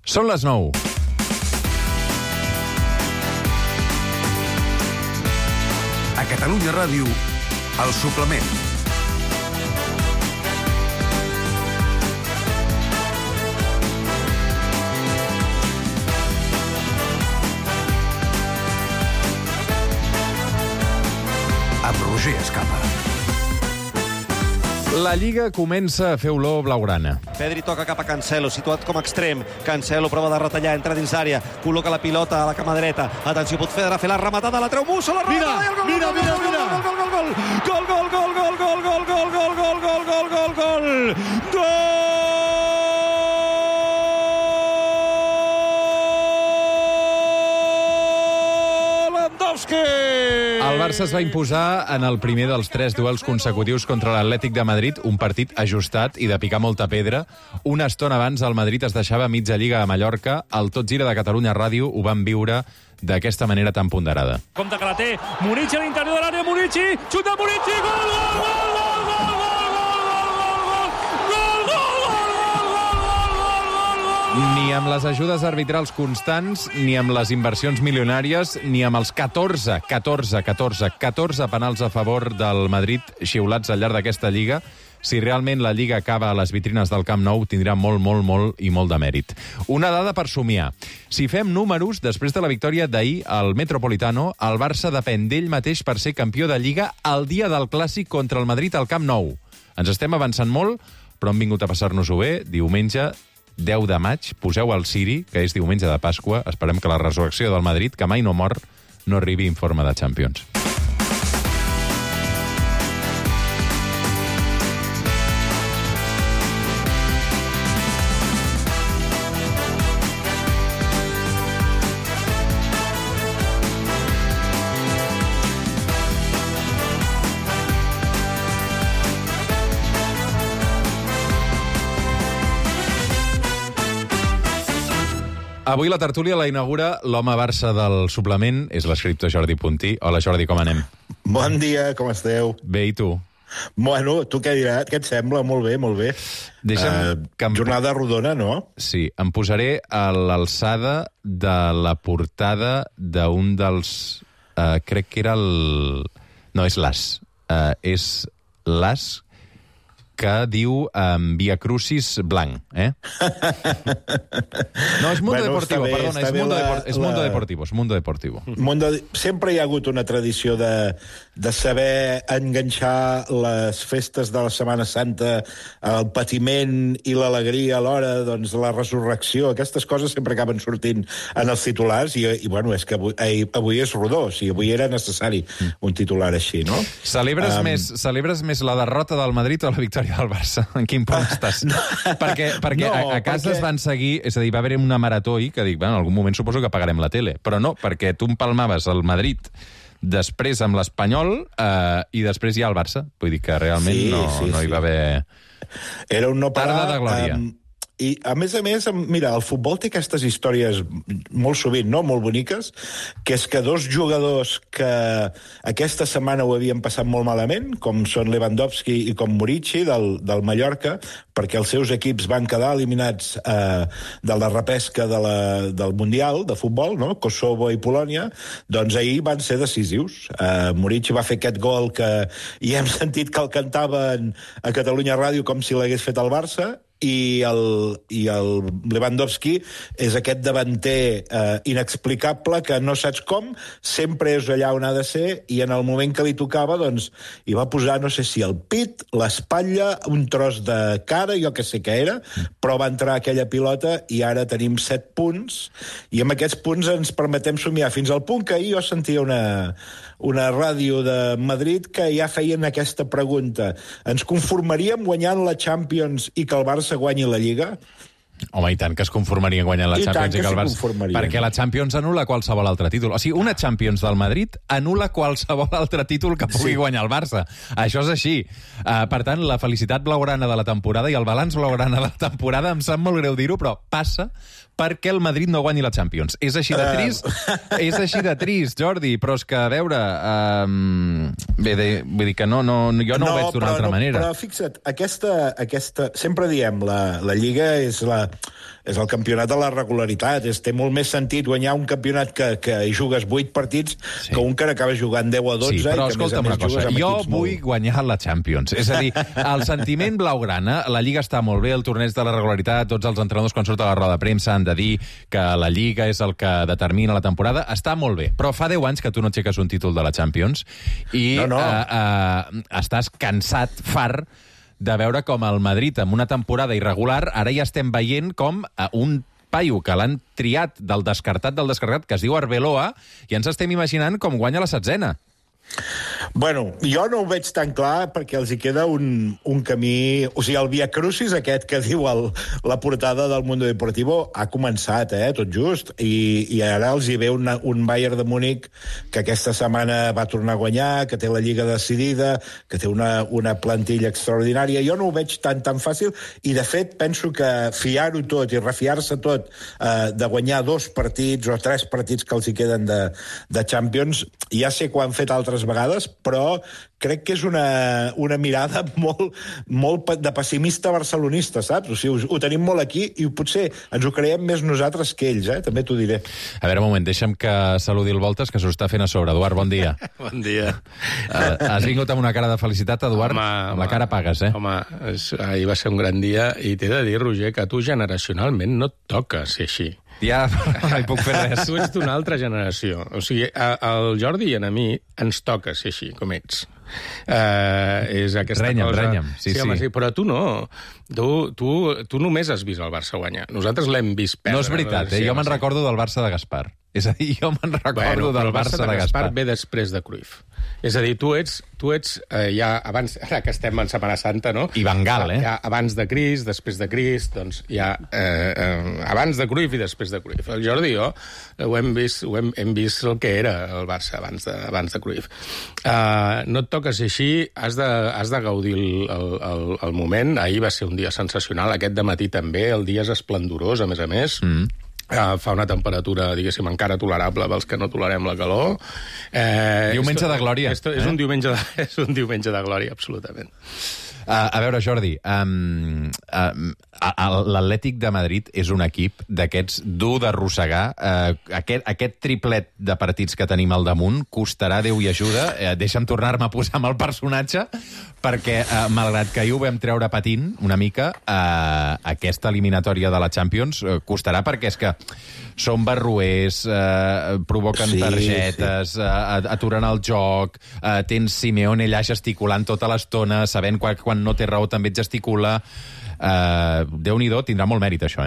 Són les 9. A Catalunya Ràdio, El Suplement. Amb Roger Escapa. La Lliga comença a fer olor blaugrana. Pedri toca cap a Cancelo, situat com a extrem. Cancelo prova de retallar, entra dins àrea, col·loca la pilota a la cama dreta. Atenció, pot fer la rematada, la treu Musso, la rematada i el gol! Mira! El Barça es va imposar en el primer dels 3 duels consecutius contra l'Atlètic de Madrid, un partit ajustat i de picar molta pedra. Una estona abans el Madrid es deixava mitja lliga a Mallorca. El Tot Gira de Catalunya Ràdio ho van viure d'aquesta manera tan ponderada. Compte que la té Murici a l'interior de l'àrea, Murici, xuta Murici, gol! Ni amb les ajudes arbitrals constants, ni amb les inversions milionàries, ni amb els 14 penals a favor del Madrid xiulats al llarg d'aquesta Lliga, si realment la Lliga acaba a les vitrines del Camp Nou, tindrà molt de mèrit. Una dada per somiar. Si fem números, després de la victòria d'ahir al Metropolitano, el Barça depèn d'ell mateix per ser campió de Lliga el dia del Clàssic contra el Madrid al Camp Nou. Ens estem avançant molt, però hem vingut a passar-nos-ho bé. Diumenge 10 de maig, poseu el Siri, que és diumenge de Pasqua. Esperem que la resurrecció del Madrid, que mai no mor, no arribi en forma de Champions. Avui la tertúlia la inaugura l'home Barça del suplement, és l'escriptor Jordi Puntí. Hola, Jordi, com anem? Bon dia, com esteu? Bé, i tu? Bueno, tu què diràs? Què et sembla? Molt bé. Jornada rodona, no? Sí, em posaré a l'alçada de la portada d'un dels... crec que era el... No, és l'As. És l'As que diu Via Crucis blanc, eh? No, és Mundo Deportivo, perdona, és Mundo Deportivo. Sempre hi ha hagut una tradició de saber enganxar les festes de la Setmana Santa, el patiment i l'alegria alhora, doncs la resurrecció, aquestes coses sempre acaben sortint en els titulars i bueno, és que avui és rodó, o sigui, avui era necessari un titular així, no? Celebres més la derrota del Madrid o la victòria del Barça? En quin punt estàs? Perquè a casa es van seguir... És a dir, va haver una marató i que dic, en algun moment suposo que apagarem la tele. Però no, perquè tu empalmaves el Madrid després amb l'Espanyol i després ja el Barça. Vull dir que realment no hi va haver... Era un no parar... Tarda de glòria. I, a més, mira, el futbol té aquestes històries molt sovint, no?, molt boniques, que és que dos jugadors que aquesta setmana ho havien passat molt malament, com són Lewandowski i com Murici, del Mallorca, perquè els seus equips van quedar eliminats de la repesca del Mundial de futbol, no?, Kosovo i Polònia, doncs ahir van ser decisius. Murici va fer aquest gol que ja hem sentit que el cantaven a Catalunya Ràdio com si l'hagués fet el Barça, i el Lewandowski és aquest davanter inexplicable que no saps com, sempre és allà on ha de ser i en el moment que li tocava doncs hi va posar, no sé si el pit, l'espatlla, un tros de cara, jo que sé què era, però va entrar aquella pilota i ara tenim 7 punts i amb aquests punts ens permetem somiar fins al punt que ahir jo sentia una ràdio de Madrid que ja feien aquesta pregunta: ens conformaríem guanyant la Champions i que el Barça guanyi la Lliga? Home, i tant que es conformarien guanyant la Champions i que el Barça... Perquè la Champions anul·la qualsevol altre títol. O sigui, una Champions del Madrid anul·la qualsevol altre títol que pugui guanyar el Barça. Això és així. Per tant, la felicitat blaugrana de la temporada i el balanç blaugrana de la temporada, em sap molt greu dir-ho, però passa perquè el Madrid no guanyi la Champions. És així de trist? És així de trist, Jordi, però és que, a veure... vull dir que jo no ho veig d'una altra manera. Però fixa't, aquesta sempre diem, la Lliga és és el campionat de la regularitat. Té molt més sentit guanyar un campionat que hi jugues 8 partits que un que n'acaba jugant 10 o 12. Sí, però i que, escolta'm una cosa, jo vull guanyar la Champions. És a dir, el sentiment blaugrana, la Lliga està molt bé, el torneig de la regularitat, tots els entrenadors quan surten a la roda de premsa han de dir que la Lliga és el que determina la temporada, està molt bé. Però fa 10 anys que tu no aixeques un títol de la Champions i estàs cansat, fart, de veure com el Madrid, amb una temporada irregular, ara ja estem veient com un paio que l'han triat del descartat, que es diu Arbeloa, i ens estem imaginant com guanya la 16a. Bueno, jo no ho veig tan clar perquè els hi queda un camí... O sigui, el Via Crucis aquest que diu la portada del Mundo Deportivo ha començat, tot just, i ara els hi ve un Bayern de Múnich que aquesta setmana va tornar a guanyar, que té la Lliga decidida, que té una plantilla extraordinària. Jo no ho veig tan fàcil, i de fet penso que fiar-ho tot i refiar-se tot de guanyar 2 partits o 3 partits que els hi queden de Champions, ja sé que ho han fet altres vegades, però crec que és una mirada molt de pessimista barcelonista, saps? O sigui, ho tenim molt aquí i potser ens ho creiem més nosaltres que ells, també t'ho diré. A veure, un moment, deixa'm que saludi el Voltes, que s'ho està fent a sobre. Eduard, bon dia. Bon dia. Has vingut amb una cara de felicitat, Eduard? Amb la cara pagues, Home, ahir va ser un gran dia i t'he de dir, Roger, que a tu generacionalment no et toca ser així. Ja, no hi puc fer res. Tu ets d'una altra generació. O sigui, al Jordi i a mi ens toca ser així, com ets. És aquesta cosa... Renya'm. Sí, home, sí, però tu no. Tu només has vist el Barça guanyar. Nosaltres l'hem vist perdre. No és veritat, jo me'n recordo del Barça de Gaspar. És a dir, jo me'n recordo del Barça de Gaspar. Ve després de Cruyff. És a dir, tu ets ja abans, ara que estem en Setmana Santa, no? I Van Gaal, Ja abans de Crist, després de Crist, doncs ja abans de Cruyff i després de Cruyff. El Jordi i jo hem vist el que era el Barça abans de Cruyff. No et toca ser així, has de gaudir el moment. Ahir va ser un dia sensacional, aquest dematí també, el dia és esplendorós, a més. Fa una temperatura, diguéssim, encara tolerable pels que no tolerem la calor. Diumenge de glòria. És un diumenge de glòria, absolutament. A veure, Jordi, l'Atlètic de Madrid és un equip d'aquests dur d'arrossegar. Aquest triplet de partits que tenim al damunt costarà Déu i ajuda. Deixa'm tornar-me a posar amb el personatge, perquè, malgrat que ahir ho vam treure patint una mica, aquesta eliminatòria de la Champions costarà, perquè és que són barruers, provoquen targetes, aturen el joc, tens Simeone allà gesticulant tota l'estona, sabent quan no té raó també et gesticula. Déu-n'hi-do, tindrà molt mèrit això,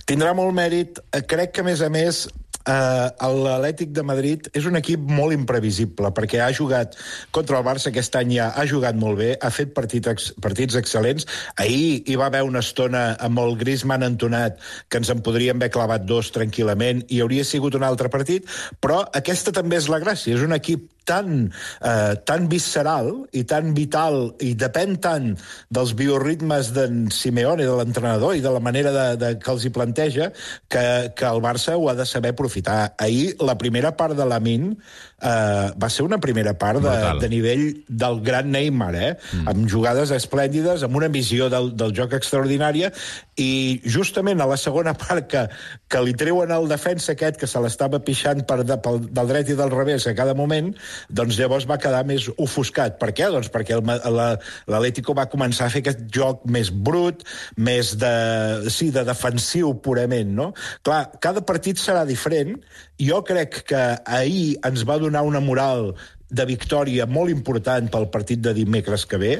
Tindrà molt mèrit. Crec que, a més, l'Atlètic de Madrid és un equip molt imprevisible, perquè ha jugat contra el Barça aquest any, ja ha jugat molt bé, ha fet partits excel·lents. Ahir hi va haver una estona amb el Griezmann entonat que ens en podríem haver clavat 2 tranquil·lament i hauria sigut un altre partit, però aquesta també és la gràcia, és un equip tan visceral i tan vital i depèn tant dels bioritmes d'en Simeone, de l'entrenador i de la manera que els hi planteja que el Barça ho ha de saber aprofitar. Ahir, la primera part de Lamine va ser una primera part de nivell del gran Neymar, amb jugades esplèndides, amb una visió del joc extraordinària, i justament a la segona part que li treuen el defensa aquest que se l'estava pixant del dret i del revés a cada moment, doncs llavors va quedar més ofuscat. Per què? Doncs perquè l'Atlético va començar a fer aquest joc més brut, més de defensiu purament, no? Clar, cada partit serà diferent. Jo crec que ahir ens va donar una moral de victòria molt important pel partit de dimecres que ve,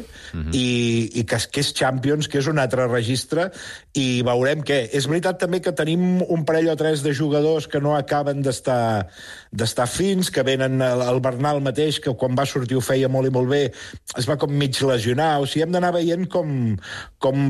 i que és Champions, que és un altre registre, i veurem què. És veritat també que tenim un parell o 3 de jugadors que no acaben d'estar fins, que venen el Bernal mateix, que quan va sortir ho feia molt i molt bé, es va com mig lesionar. O sigui, hem d'anar veient com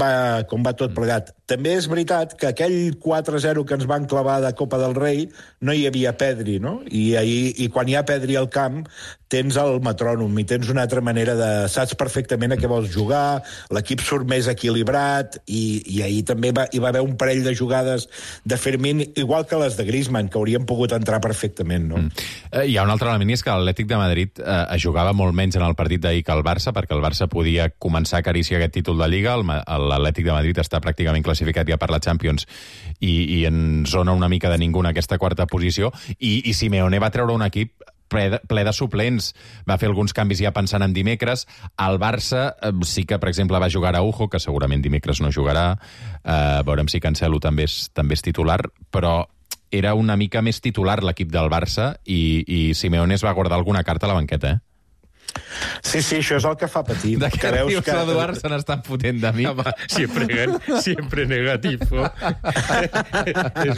va tot plegat. També és veritat que aquell 4-0 que ens van clavar de Copa del Rei no hi havia Pedri, no? I quan hi ha Pedri al camp tens el metrònom i tens una altra manera saps perfectament a què vols jugar, l'equip surt més equilibrat, i ahir també hi va haver un parell de jugades de Fermín, igual que les de Griezmann, que haurien pogut entrar perfectament, no? Hi ha un altre element, és que l'Atlètic de Madrid jugava molt menys en el partit d'ahir que el Barça, perquè el Barça podia començar a acariciar aquest títol de Lliga, l'Atlètic de Madrid està pràcticament classificat classificat ja per la Champions i en zona una mica de ningú en aquesta quarta posició, i Simeone va treure un equip ple de suplents. Va fer alguns canvis ja pensant en dimecres. El Barça sí que, per exemple, va jugar Araujo, que segurament dimecres no jugarà. Veurem si Cancelo també és titular, però era una mica més titular l'equip del Barça i Simeone es va guardar alguna carta a la banqueta, Sí, això és el que fa patir. De què rius, Eduard? Se n'estan fotent de mi. Home, siempre negativo. És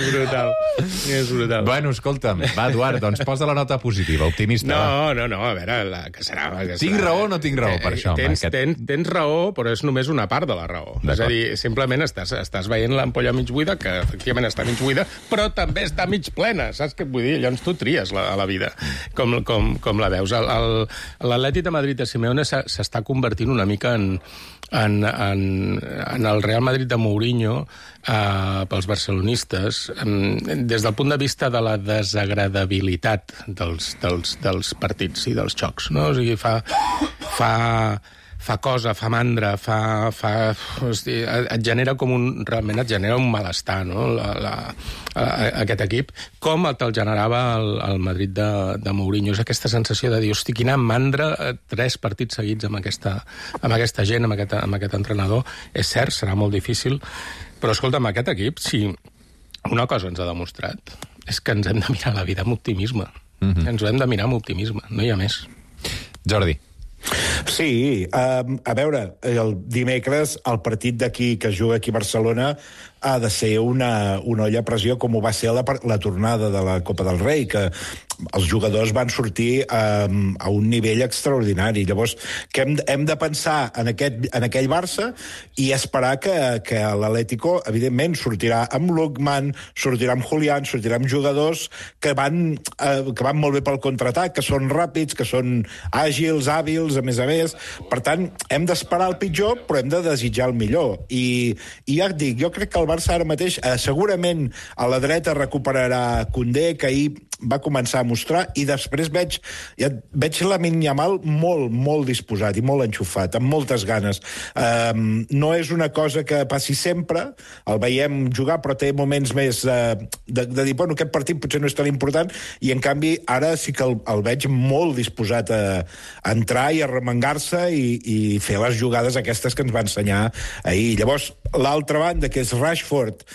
brutal. Bueno, escolta'm, va, Eduard, doncs posa la nota positiva, optimista. No, a veure, que serà... Tinc raó o no tinc raó per això? Tens raó, però és només una part de la raó. És a dir, simplement estàs veient l'ampolla mig buida, que efectivament està mig buida, però també està mig plena, saps què vull dir? Llavors tu tries a la vida, com la veus. L'Atlètic de Madrid de Simeone s'està convertint una mica en el Real Madrid de Mourinho pels barcelonistes, des del punt de vista de la desagradabilitat dels partits i dels xocs, no? O sigui, fa cosa, fa mandra, et genera realment et genera un malestar, no? Aquest equip, com te'l generava el Madrid de Mourinho. És aquesta sensació de dir, hosti, quina mandra, 3 partits seguits amb aquesta gent, amb aquest entrenador. És cert, serà molt difícil, però escolta'm, aquest equip, si una cosa ens ha demostrat, és que ens hem de mirar la vida amb optimisme. Ens ho hem de mirar amb optimisme, no hi ha més. Jordi. Sí, a veure, el dimecres el partit d'aquí que es juga aquí a Barcelona ha de ser una olla a pressió, com ho va ser la tornada de la Copa del Rei, que els jugadors van sortir a un nivell extraordinari. Llavors, que hem de pensar en aquell Barça i esperar que l'Atlético, evidentment, sortirà amb Lookman, sortirà amb Julián, sortirà amb jugadors que van molt bé pel contraatac, que són ràpids, que són àgils, hàbils, a més. Per tant, hem d'esperar el pitjor, però hem de desitjar el millor. I ja et dic, jo crec que el Barça ara mateix segurament a la dreta recuperarà Koundé, que ahir va començar a mostrar, i després veig Lamine Yamal molt disposat i molt enxufat, amb moltes ganes. No és una cosa que passi sempre, el veiem jugar, però té moments més de dir, bueno, aquest partit potser no és tan important, i en canvi ara sí que el veig molt disposat a entrar i a remengar-se i fer les jugades aquestes que ens va ensenyar ahir. Llavors, l'altra banda, que és Rashford,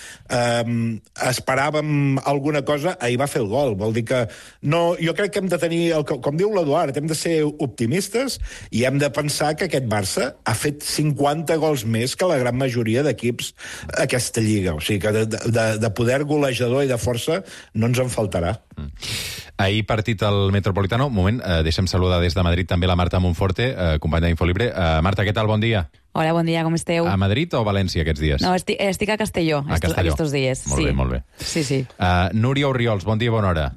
esperàvem alguna cosa, ahir va fer el gol, vol dir que no, jo crec que hem de tenir, com diu l'Eduard, hem de ser optimistes i hem de pensar que aquest Barça ha fet 50 gols més que la gran majoria d'equips aquesta lliga, o sigui que de poder golejador i de força no ens en faltarà. Ahir partit al Metropolitano. Un moment, deixem saludar des de Madrid també la Marta Monforte, companya d'Infolibre. Marta, què tal? Bon dia. Hola, bon dia, com esteu? A Madrid o a València aquests dies? No, estic a Castelló, aquests dies. Molt bé. Sí. Núria Oriols, bon dia, bona hora.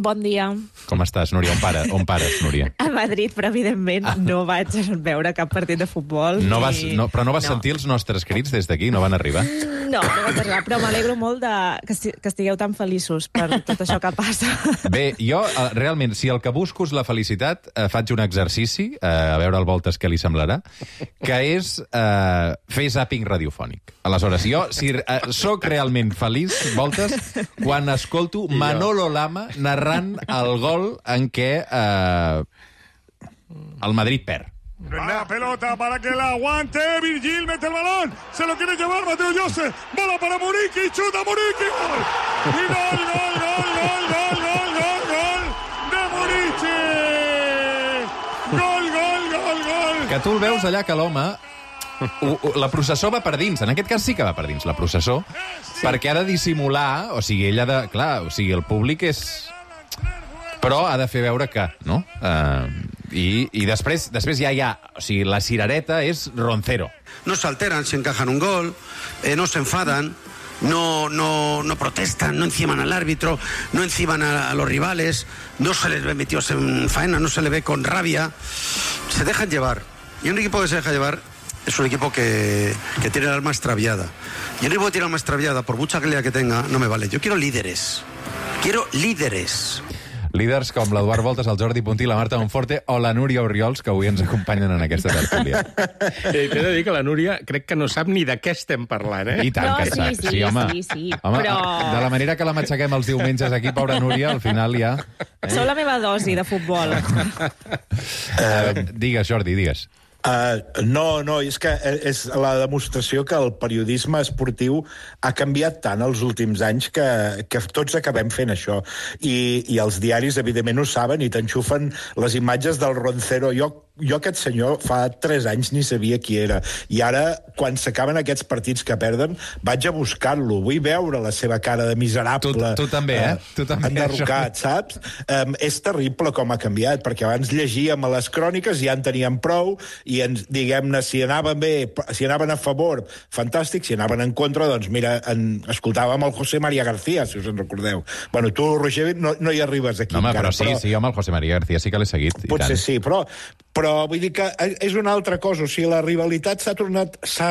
Bon dia. Com estàs, Núria? On pares, Núria? A Madrid, però evidentment no vaig veure cap partit de futbol. Però no vas sentir els nostres crits des d'aquí? No van arribar? No vaig arribar, però m'alegro molt que estigueu tan feliços per tot això que passa. Bé, jo, realment, si el que busco és la felicitat, faig un exercici, a veure al Voltes què li semblarà, que és fer zàping radiofònic. Aleshores, jo soc realment feliç, Voltes, quan escolto Manolo Lama narrant el gol en què el Madrid perd. La pelota para que la aguante Virgil, mete el balón, se lo quiere llevar Mateo José, bola para Muriqui, chuta Muriqui, gol. Y gol de Muriqui. Gol. Que tu el veus allà que l'home la processó va per dins, en aquest cas sí que va per dins la processó, perquè ha de dissimular, o sigui, ell ha de... Clar, o sigui, el públic és... Però ha de fer veure que, no? I després ja hi ha... O sigui, la cirereta és Roncero. No se alteran si encajan un gol, no se enfadan, no protestan, no enciman al árbitro, no enciman a los rivales, no se les ve metidos en faena, no se les ve con rabia, se dejan llevar. Y un equipo que se deja llevar es un equipo que tiene el alma extraviada. Y un equipo que tiene el alma extraviada, por mucha calidad que tenga, no me vale. Yo quiero líderes. Líders com l'Eduard Voltes, el Jordi Puntí, la Marta Monforte o la Núria Oriols, que avui ens acompanyen en aquesta tertúlia. T'he de dir que la Núria crec que no sap ni de què estem parlant, eh? I tant que sap. Sí, home. sí. Home, Però... de la manera que la matxaquem els diumenges aquí, pobra Núria, al final ja... Sou la meva dosi de futbol. Digues, Jordi, digues. No, és que és la demostració que el periodisme esportiu ha canviat tant els últims anys que tots acabem fent això. I els diaris, evidentment, ho saben i t'enxufen les imatges del Roncero. Jo aquest senyor fa 3 anys ni sabia qui era. I ara, quan s'acaben aquests partits que perden, vaig a buscar-lo. Vull veure la seva cara de miserable. Tu també, Tu també. Enderrocat, saps? És terrible com ha canviat, perquè abans llegíem a les cròniques i ja en teníem prou, i diguem-ne, si anaven bé, si anaven a favor, fantàstic, si anaven en contra, doncs mira, escoltàvem el José María García, si us en recordeu. Bueno, tu, Roger, no hi arribes aquí. No, home, però sí, home, el José María García sí que l'he seguit. Potser sí, però vull dir que és una altra cosa. O sigui, la rivalitat s'ha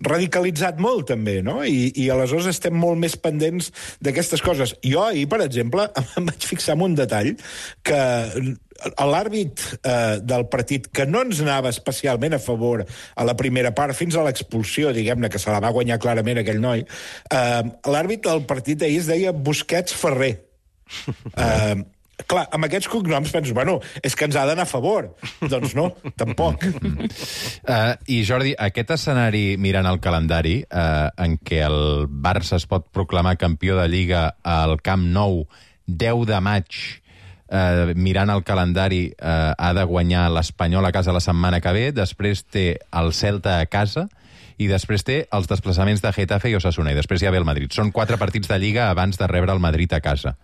radicalitzat molt, també, no? I aleshores estem molt més pendents d'aquestes coses. Jo ahir, per exemple, em vaig fixar en un detall que l'àrbit del partit, que no ens anava especialment a favor a la primera part, fins a l'expulsió, diguem-ne, que se la va guanyar clarament aquell noi, l'àrbit del partit ahir es deia Busquets Ferrer. Clar, amb aquests cognoms penso, bueno, és que ens ha d'anar a favor. Doncs no, tampoc. I Jordi, aquest escenari, mirant el calendari, en què el Barça es pot proclamar campió de Lliga al Camp Nou 10 de maig, mirant el calendari, ha de guanyar l'Espanyol a casa la setmana que ve, després té el Celta a casa, i després té els desplaçaments de Getafe i Osasuna, i després ja ve el Madrid. Són 4 partits de Lliga abans de rebre el Madrid a casa.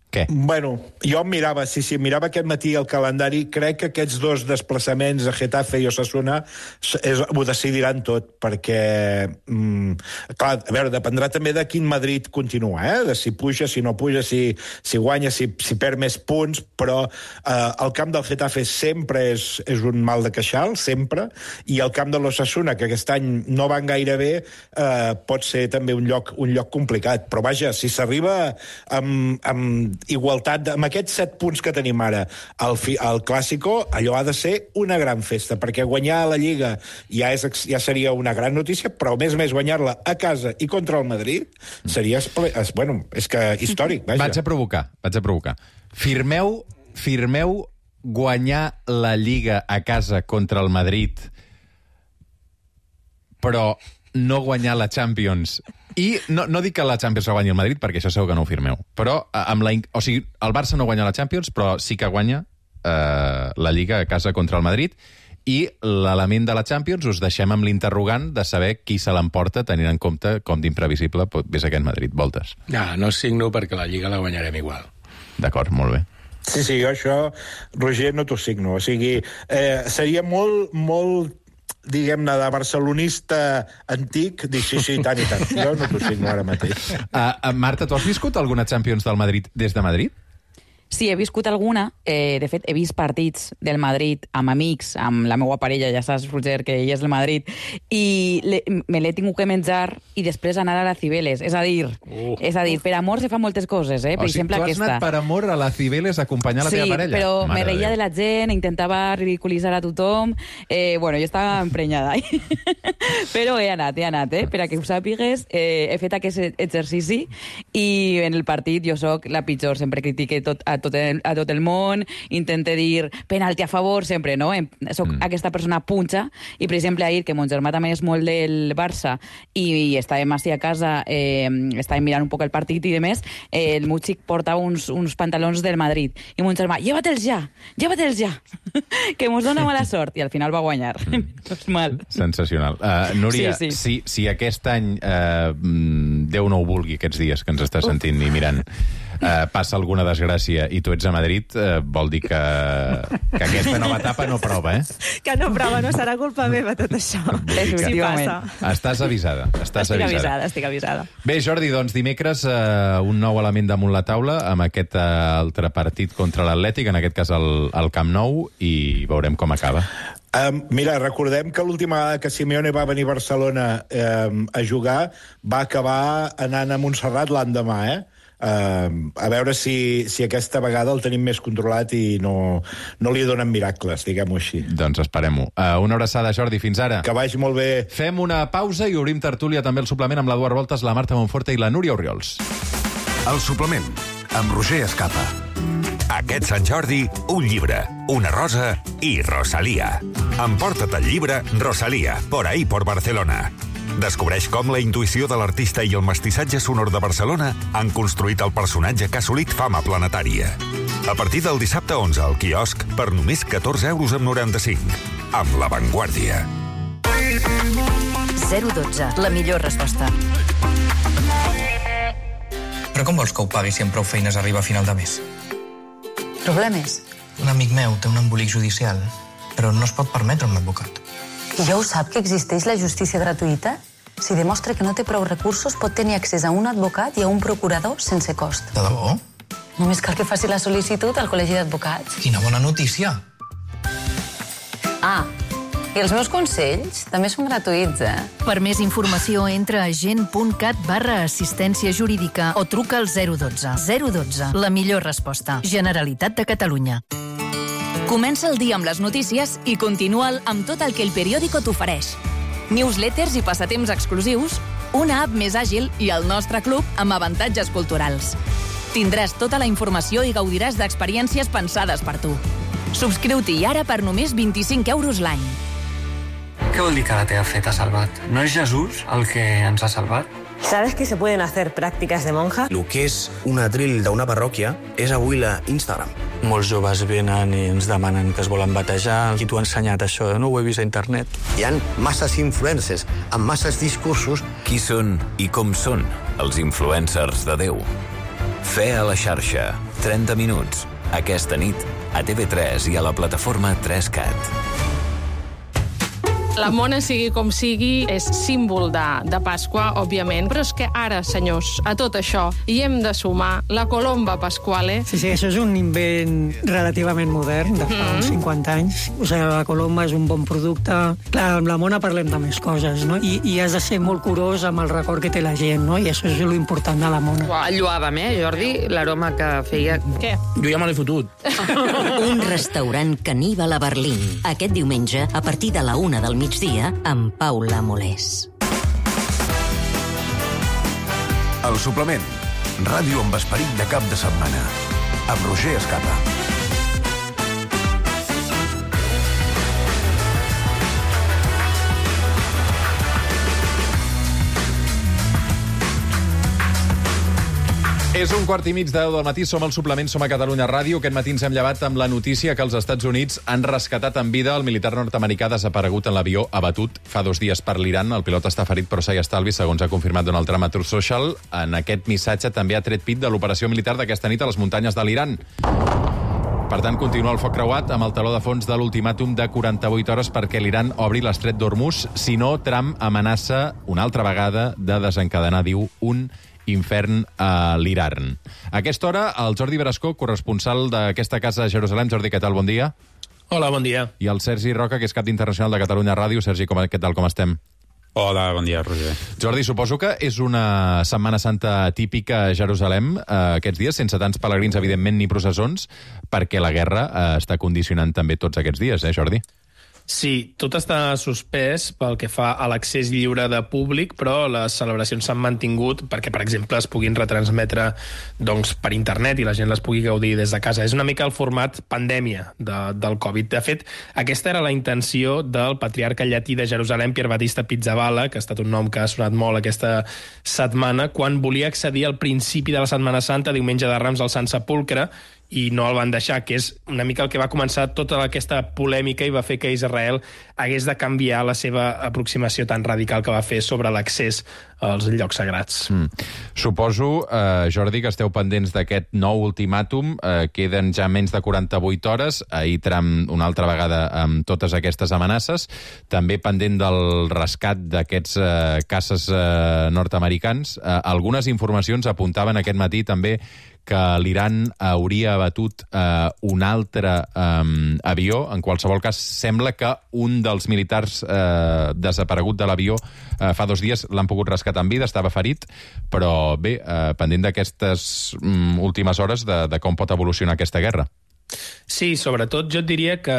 Què? Bueno, jo mirava aquest matí el calendari, crec que aquests 2 desplaçaments a Getafe i Osasuna ho decidiran tot, perquè, clar, a veure, dependrà també de quin Madrid continua, de si puja, si no puja, si guanya, si perd més punts, però el camp del Getafe sempre és un mal de queixal, sempre, i el camp de l'Osasuna, que aquest any no van gaire bé, pot ser també un lloc complicat, però vaja, si s'arriba amb igualtat, amb aquests 7 punts que tenim ara al Clàssico, allò ha de ser una gran festa, perquè guanyar la Lliga ja seria una gran notícia, però a més guanyar-la a casa i contra el Madrid seria, bueno, és que històric, vaja. Vaig a provocar. Firmeu guanyar la Lliga a casa contra el Madrid, però no guanyar la Champions. I no dic que la Champions la guanyi el Madrid, perquè això segur que no ho firmeu. Però, o sigui, el Barça no guanya la Champions, però sí que guanya la Lliga a casa contra el Madrid, i l'element de la Champions us deixem amb l'interrogant de saber qui se l'emporta, tenint en compte com d'imprevisible és aquest Madrid. Voltes. No signo perquè la Lliga la guanyarem igual. D'acord, molt bé. Sí, jo això, Roger, no t'ho signo. O sigui, seria molt diguem-ne, de barcelonista antic, dir sí, tant i tant. Jo no t'ho signo ara mateix. Marta, tu has viscut alguna Champions del Madrid des de Madrid? Sí, he viscut alguna. De fet, he vist partits del Madrid amb amics, amb la meva parella, ja saps, Roger, que ella és del Madrid, i me l'he tingut que menjar i després anar a la Cibeles. És a dir, per amor se fan moltes coses, Per exemple, tu has anat per amor a la Cibeles a acompanyar la teva parella? Sí, però me reia de la gent, intentava ridiculitzar a tothom. Bueno, jo estava emprenyada. Però he anat, per a que ho sàpigues. He fet aquest exercici i en el partit jo soc la pitjor, sempre critiqué a tot el món, intente dir penalti a favor, sempre, no? Soc aquesta persona punxa, i per exemple ahir, que mon germà també és molt del Barça i estàvem així a casa, estàvem mirant un poc el partit i demés, el meu xic portava uns pantalons del Madrid, i mon germà, llévatel's ja, que mos dona mala sort, i al final va guanyar. Mal. Sensacional. Núria, si aquest any, Déu no ho vulgui, aquests dies que ens està sentint i mirant, passa alguna desgràcia i tu ets a Madrid, vol dir que aquesta nova etapa no prova, Que no prova, no serà culpa meva tot això. Sí passa. Estàs avisada. Estic avisada. Bé, Jordi, doncs dimecres un nou element damunt la taula amb aquest altre partit contra l'Atlètic, en aquest cas al Camp Nou, i veurem com acaba. Mira, recordem que l'última vegada que Simeone va venir a Barcelona a jugar va acabar anant a Montserrat l'endemà, A veure si aquesta vegada el tenim més controlat i no li donen miracles, diguem-ho així. Doncs esperem-ho. Una abraçada, Jordi, fins ara. Que vagi molt bé. Fem una pausa i obrim tertúlia també el suplement amb l'Eduard Voltes, la Marta Monforte i la Núria Oriols. El suplement, amb Roger Escapa. Aquest Sant Jordi, un llibre, una rosa i Rosalía. Emporta't el llibre Rosalía, por ahí por Barcelona. Descobreix com la intuïció de l'artista i el mestissatge sonor de Barcelona han construït el personatge que ha assolit fama planetària. A partir del dissabte 11 al quiosc per només 14,95 €. Amb La Vanguardia. 012, la millor resposta. Però com vols que ho pagui si amb prou feines arriba a final de mes? Problemes? Un amic meu té un embolic judicial, però no es pot permetre un advocat. I ja ho sap que existeix la justícia gratuïta? Si demostra que no té prou recursos, pot tenir accés a un advocat i a un procurador sense cost. De debò? Només cal que faci la sol·licitud al Col·legi d'Advocats. Quina bona notícia! Ah, i els meus consells també són gratuïts, Per més informació, entra a gent.cat/assistència jurídica o truca al 012. 012, la millor resposta. Generalitat de Catalunya. Comença el dia amb les notícies i continua'l amb tot el que El Periódico t'ofereix. Newsletters i passatemps exclusius, una app més àgil i el nostre club amb avantatges culturals. Tindràs tota la informació i gaudiràs d'experiències pensades per tu. Subscriu-t'hi ara per només 25 € l'any. Què vol dir que la teva fe t'ha salvat? No és Jesús el que ens ha salvat? ¿Sabes que se pueden hacer prácticas de monja? El que és un atril d'una parròquia és avui la Instagram. Molts joves venen i ens demanen que es volen batejar. Qui t'ho ha ensenyat, això? No ho he vist a internet. Hi ha masses influencers amb masses discursos. Qui són i com són els influencers de Déu? Fe a la xarxa. 30 minuts. Aquesta nit a TV3 i a la plataforma 3Cat. La mona, sigui com sigui, és símbol de Pasqua, òbviament, però és que ara, senyors, a tot això hi hem de sumar la colomba pasquale. Sí, això és un invent relativament modern, de fa uns 50 anys. O sigui, la colomba és un bon producte. Clar, amb la mona parlem de més coses, no? I has de ser molt curós amb el record que té la gent, no? I això és l'important de la mona. Enlluàvem, Jordi, l'aroma que feia... Què? Jo ja me l'he fotut. Un restaurant caníbal a Berlín. Aquest diumenge, a partir de la 1 del migdia, amb Paula Molés. El suplement. Ràdio amb esperit de cap de setmana. Amb Roger Escapa. És 1:15 del matí, som al suplement, som a Catalunya Ràdio. Aquest matí ens hem llevat amb la notícia que els Estats Units han rescatat en vida el militar nord-americà desaparegut en l'avió abatut fa 2 dies per l'Iran. El pilot està ferit però s'ha estalvi, segons ha confirmat Donald Trump a Truth Social. En aquest missatge també ha tret pit de l'operació militar d'aquesta nit a les muntanyes de l'Iran. Per tant, continua el foc creuat amb el teló de fons de l'ultimàtum de 48 hores perquè l'Iran obri l'estret d'Hormuz. Si no, Trump amenaça una altra vegada de desencadenar, diu, un infern a l'Iran. A aquesta hora, el Jordi Brascó, corresponsal d'aquesta casa a Jerusalem. Jordi, què tal? Bon dia. Hola, bon dia. I el Sergi Roca, que és cap d'internacional de Catalunya Ràdio. Sergi, què tal, com estem? Hola, bon dia, Roger. Jordi, suposo que és una Setmana Santa típica a Jerusalem aquests dies, sense tants pelegrins, evidentment, ni processons, perquè la guerra està condicionant també tots aquests dies, Jordi? Sí, tot està suspès pel que fa a l'accés lliure de públic, però les celebracions s'han mantingut perquè, per exemple, es puguin retransmetre per internet i la gent les pugui gaudir des de casa. És una mica el format pandèmia del Covid. De fet, aquesta era la intenció del patriarca llatí de Jerusalem, Pier Battista Pizzaballa, que ha estat un nom que ha sonat molt aquesta setmana, quan volia accedir al principi de la Setmana Santa, diumenge de Rams al Sant Sepulcre, i no el van deixar, que és una mica el que va començar tota aquesta polèmica i va fer que Israel hagués de canviar la seva aproximació tan radical que va fer sobre l'accés als llocs sagrats. Suposo, Jordi, que esteu pendents d'aquest nou ultimàtum. Queden ja menys de 48 hores. Ahir Trump, una altra vegada, amb totes aquestes amenaces. També pendent del rescat d'aquests caces nord-americans. Algunes informacions apuntaven aquest matí també que l'Iran hauria abatut un altre avió. En qualsevol cas, sembla que un dels militars desaparegut de l'avió fa 2 dies l'han pogut rescatar en vida, estava ferit, però bé, pendent d'aquestes últimes hores de com pot evolucionar aquesta guerra. Sí, sobretot jo et diria que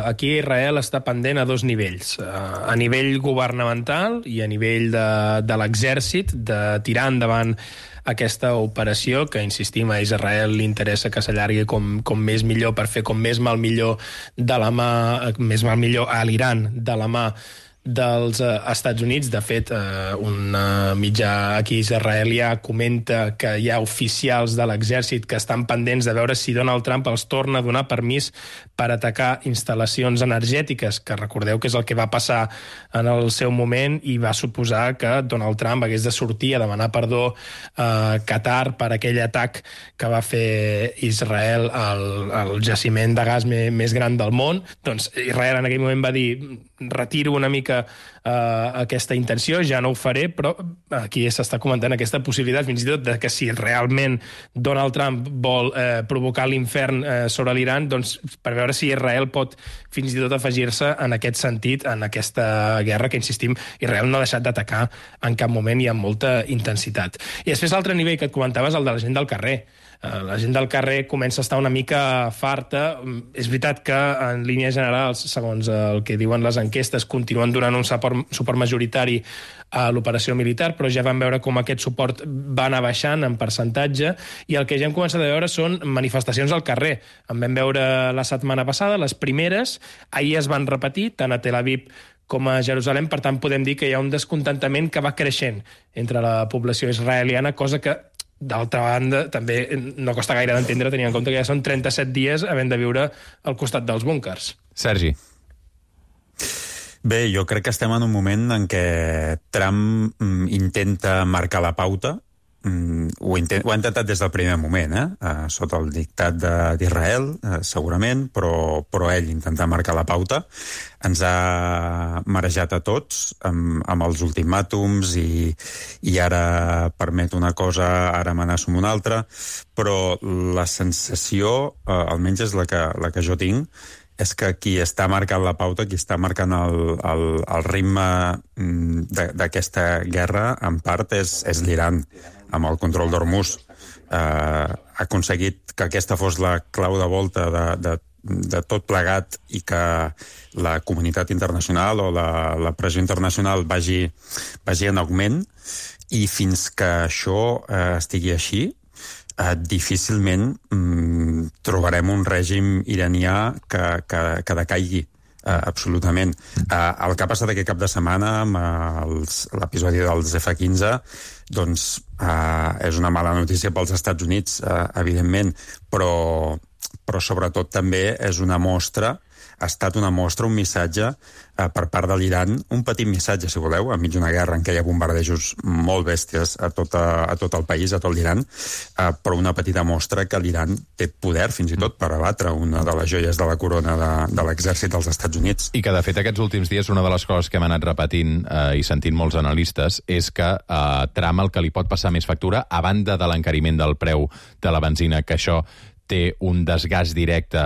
aquí Israel està pendent a 2 nivells. A nivell governamental i a nivell de l'exèrcit, de tirar endavant aquesta operació, que insistim, a Israel li interessa que s'allargui com més millor per fer com més mal millor de la mà, més mal millor a l'Iran de la mà dels Estats Units. De fet, un mitjà aquí israelià comenta que hi ha oficials de l'exèrcit que estan pendents de veure si Donald Trump els torna a donar permís per atacar instal·lacions energètiques, que recordeu que és el que va passar en el seu moment i va suposar que Donald Trump hagués de sortir a demanar perdó a Qatar per aquell atac que va fer Israel al jaciment de gas més gran del món. Doncs Israel en aquell moment va dir: retiro una mica aquesta intenció, ja no ho faré, però aquí s'està comentant aquesta possibilitat fins i tot de que si realment Donald Trump vol provocar l'infern sobre l'Iran, doncs per veure si Israel pot fins i tot afegir-se en aquest sentit, en aquesta guerra que, insistim, Israel no ha deixat d'atacar en cap moment i amb molta intensitat. I després l'altre nivell que et comentaves, el de la gent del carrer. La gent del carrer comença a estar una mica farta. És veritat que en línies generals, segons el que diuen les enquestes, continuen donant un suport majoritari a l'operació militar, però ja vam veure com aquest suport va anar baixant en percentatge, i el que ja hem començat a veure són manifestacions al carrer. En vam veure la setmana passada, les primeres, ahir es van repetir, tant a Tel Aviv com a Jerusalem. Per tant, podem dir que hi ha un descontentament que va creixent entre la població israeliana, cosa que, d'altra banda, també no costa gaire d'entendre, tenint en compte que ja són 37 dies havent de viure al costat dels búnkers. Sergi. Bé, jo crec que estem en un moment en què Trump intenta marcar la pauta. Ho ha intentat des del primer moment, sota el dictat d'Israel, segurament, però ell intenta marcar la pauta. Ens ha marejat a tots amb els ultimàtums i ara permet una cosa, ara amenaça amb una altra, però la sensació, almenys és la que jo tinc, és que qui està marcant la pauta, qui està marcant el ritme d'aquesta guerra, en part, és l'Iran, amb el control d'Hormuz. Ha aconseguit que aquesta fos la clau de volta de tot plegat i que la comunitat internacional o la pressió internacional vagi en augment, i fins que això estigui així, difícilment trobarem un règim iranià que decaigui absolutament. El que ha passat aquest cap de setmana amb l'episodi dels F-15 doncs és una mala notícia pels Estats Units, evidentment, però sobretot també és una mostra, ha estat una mostra, un missatge per part de l'Iran, un petit missatge, si voleu, enmig d'una guerra en què hi ha bombardejos molt bèsties a tot el país, a tot l'Iran, però una petita mostra que l'Iran té poder, fins i tot, per abatre una de les joies de la corona de l'exèrcit dels Estats Units. I que, de fet, aquests últims dies, una de les coses que hem anat repetint i sentint molts analistes és que Trump el que li pot passar més factura, a banda de l'encariment del preu de la benzina, que això té un desgast directe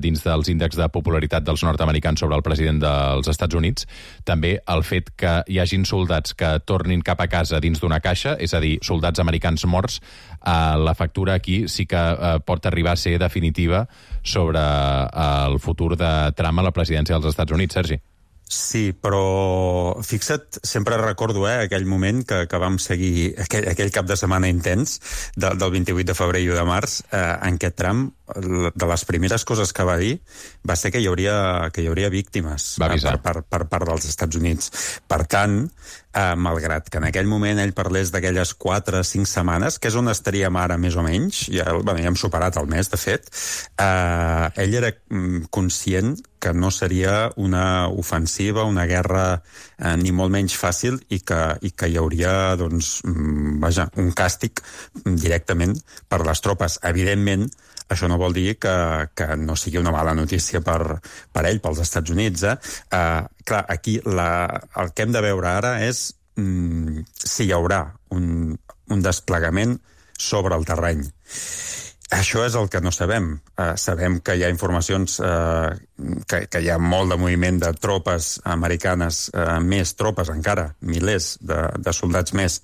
dins dels índexs de popularitat dels nord-americans sobre el president dels Estats Units, també el fet que hi hagin soldats que tornin cap a casa dins d'una caixa, és a dir, soldats americans morts, la factura aquí sí que pot arribar a ser definitiva sobre el futur de Trump a la presidència dels Estats Units. Sergi. Sí, però fixa't, sempre recordo aquell moment que vam seguir, aquell cap de setmana intens del 28 de febrer i 1 de març, en què Trump, de les primeres coses que va dir, va ser que hi hauria víctimes per part dels Estats Units. Per tant, malgrat que en aquell moment ell parlés d'aquelles 4 o 5 setmanes, que és on estaríem ara més o menys, ja hem superat el mes, de fet, ell era conscient que no seria una ofensiva, una guerra ni molt menys fàcil, i que hi hauria doncs, un càstig directament per les tropes. Evidentment, això no vol dir que no sigui una mala notícia per ell, pels Estats Units. Clar, aquí el que hem de veure ara és si hi haurà un desplegament sobre el terreny. Això és el que no sabem. Sabem que hi ha informacions, que hi ha molt de moviment de tropes americanes, més tropes encara, milers de soldats més,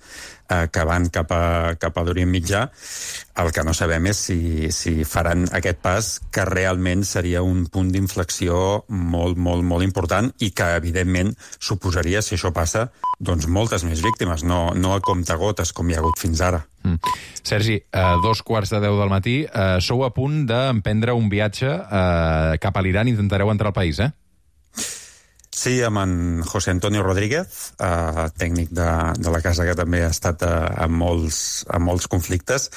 que van cap a l'Orient Mitjà. El que no sabem és si faran aquest pas, que realment seria un punt d'inflexió molt, molt, molt important i que, evidentment, suposaria, si això passa, doncs moltes més víctimes, no a comptagotes com hi ha hagut fins ara. Sergi, 2:15 del matí, sou a punt d'emprendre un viatge cap a l'Iran, intentareu entrar al país, Sí, amb en José Antonio Rodríguez, tècnic de la casa que també ha estat en molts conflictes.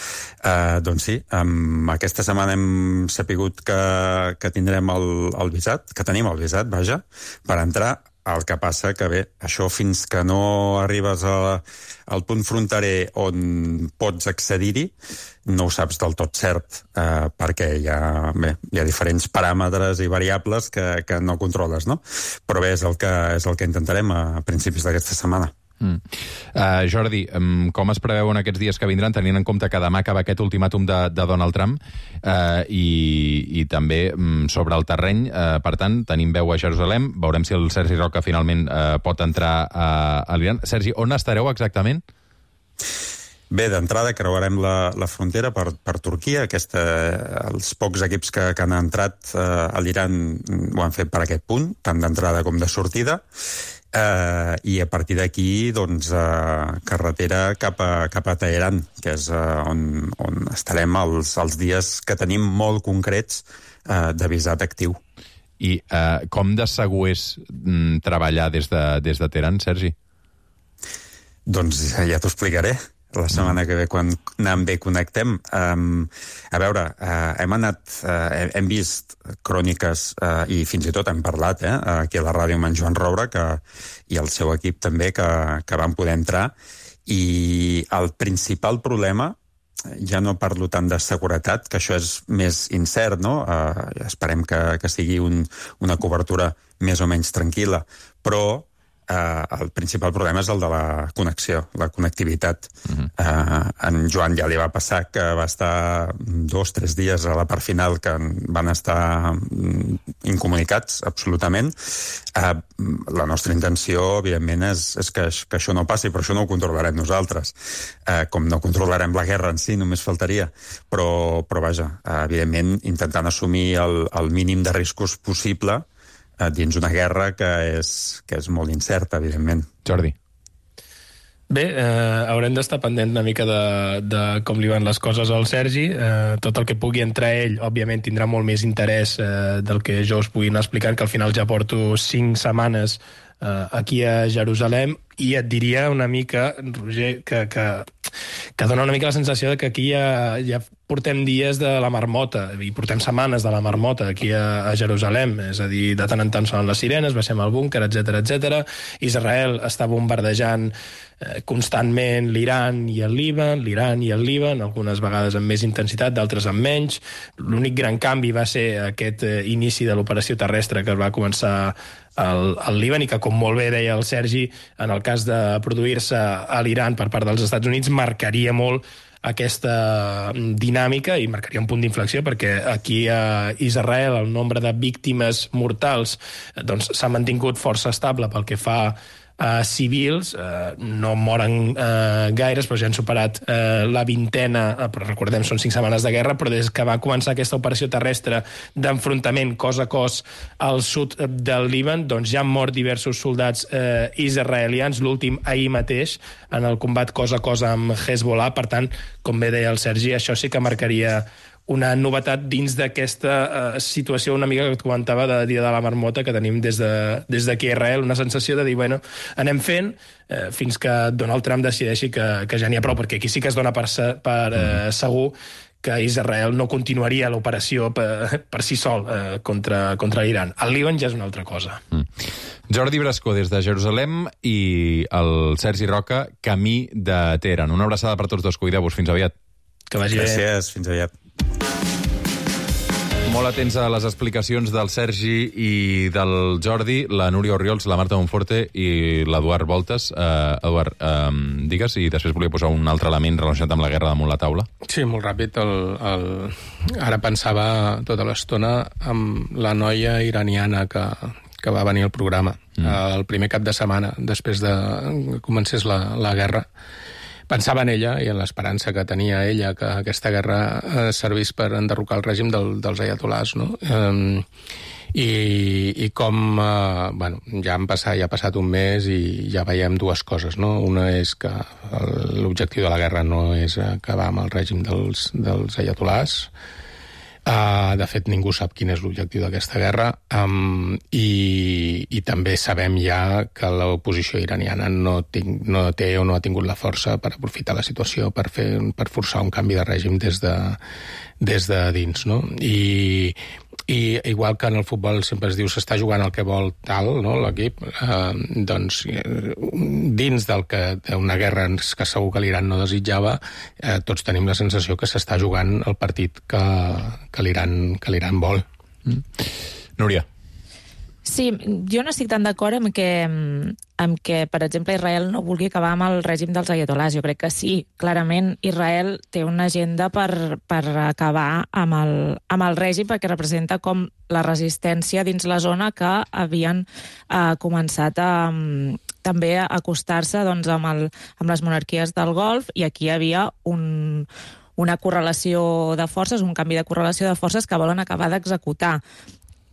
Doncs sí, aquesta setmana hem sapigut que tindrem el visat, que tenim el visat, vaja, per entrar. El que passa que, bé, això fins que no arribes al punt fronterer on pots accedir-hi, no ho saps del tot cert, perquè hi ha diferents paràmetres i variables que no controles, no? Però bé, és el que intentarem a principis d'aquesta setmana. Jordi, com es preveuen aquests dies que vindran, tenint en compte que demà acaba aquest ultimàtum de Donald Trump i també sobre el terreny, per tant, tenim veu a Jerusalem, veurem si el Sergi Roca finalment pot entrar a l'Iran. Sergi, on estareu exactament? Bé, d'entrada creuarem la frontera per Turquia. Els pocs equips que han entrat a l'Iran ho han fet per aquest punt, tant d'entrada com de sortida. I a partir d'aquí, doncs, carretera cap a Teheran, que és on estarem els dies que tenim molt concrets de visat actiu. I com de segur és treballar des de Teheran, Sergi? Doncs ja t'ho explicaré. La setmana que ve, quan anem bé, connectem. A veure, hem vist cròniques i fins i tot hem parlat aquí a la ràdio amb en Joan Roura i el seu equip també, que van poder entrar. I el principal problema, ja no parlo tant de seguretat, que això és més incert, no? Esperem que sigui una cobertura més o menys tranquil·la, però el principal problema és el de la connexió, la connectivitat. En Joan ja li va passar que va estar 2-3 dies a la part final que van estar incomunicats, absolutament. La nostra intenció, evidentment, és que això no passi, però això no ho controlarem nosaltres. Com no controlarem la guerra en si, només faltaria. Però vaja, evidentment, intentant assumir el mínim de riscos possible dins una guerra que és molt incerta, evidentment. Jordi. Bé, haurem d'estar pendent una mica de com li van les coses al Sergi. Tot el que pugui entrar ell, òbviament, tindrà molt més interès del que jo us pugui anar explicant, que al final ja porto 5 setmanes aquí a Jerusalem, i et diria una mica, Roger, que dona una mica la sensació de que aquí ja portem dies de la marmota, i portem setmanes de la marmota aquí a Jerusalem, és a dir, de tant en tant sonen les sirenes, baixem al búnquer, etc. Israel està bombardejant constantment l'Iran i el Líban, algunes vegades amb més intensitat, d'altres amb menys. L'únic gran canvi va ser aquest inici de l'operació terrestre que va començar al Líban i que, com molt bé deia el Sergi, en el cas de produir-se a l'Iran per part dels Estats Units, marcaria molt aquesta dinàmica i marcaria un punt d'inflexió, perquè aquí a Israel el nombre de víctimes mortals doncs, s'ha mantingut força estable pel que fa civils, no moren gaires, però ja han superat la vintena, però recordem, són 5 setmanes de guerra, però des que va començar aquesta operació terrestre d'enfrontament cos a cos al sud del Líban, doncs ja han mort diversos soldats israelians, l'últim ahir mateix, en el combat cos a cos amb Hezbollah. Per tant, com bé deia el Sergi, això sí que marcaria una novetat dins d'aquesta situació una mica que et comentava de dia de la marmota que tenim des d'aquí a Israel, una sensació de dir, bueno, anem fent fins que Donald Trump decideixi que ja n'hi ha prou, perquè aquí sí que es dona per segur que Israel no continuaria l'operació per si sol contra l'Iran. El Líban ja és una altra cosa. Jordi Brascó, des de Jerusalem, i el Sergi Roca, camí de Teheran. Una abraçada per tots dos, cuideu-vos, fins aviat. Que vagi bé. Gràcies, fins aviat. Molt atents a les explicacions del Sergi i del Jordi, la Núria Orriols, la Marta Monforte i l'Eduard Voltes. Eduard, digues, i després volia posar un altre element relacionat amb la guerra damunt la taula. Sí, molt ràpid. Ara pensava tota l'estona amb la noia iraniana que va venir al programa. El primer cap de setmana, després de que comencés la guerra. Pensava en ella i en l'esperança que tenia ella que aquesta guerra servís per enderrocar el règim dels ayatolás, no? I com, ja ha passat un mes i ja veiem dues coses, no? Una és que l'objectiu de la guerra no és acabar amb el règim dels ayatolás. De fet, ningú sap quin és l'objectiu d'aquesta guerra, i també sabem ja que l'oposició iraniana no té o no ha tingut la força per aprofitar la situació per forçar un canvi de règim des de dins, no? I igual que en el futbol sempre es diu s'està jugant el que vol tal, no, l'equip, doncs dins d'una guerra que segur que l'Iran no desitjava, tots tenim la sensació que s'està jugant el partit que l'Iran vol. Núria. Sí, jo no estic tan d'acord amb que, per exemple, Israel no vulgui acabar amb el règim dels ayatolás. Jo crec que sí, clarament Israel té una agenda per acabar amb el règim, perquè representa com la resistència dins la zona que havien començat també a acostar-se amb les monarquies del Golf, i aquí hi havia una correlació de forces, un canvi de correlació de forces que volen acabar d'executar.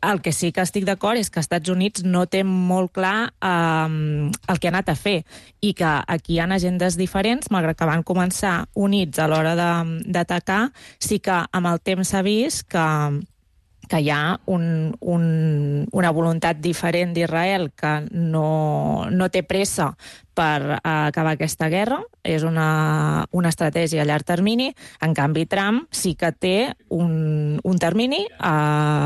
El que sí que estic d'acord és que Estats Units no té molt clar el que ha anat a fer, i que aquí hi ha agendes diferents, malgrat que van començar units a l'hora d'atacar. Sí que amb el temps s'ha vist que hi ha una voluntat diferent d'Israel, que no té pressa per acabar aquesta guerra, és una estratègia a llarg termini. En canvi, Trump sí que té un termini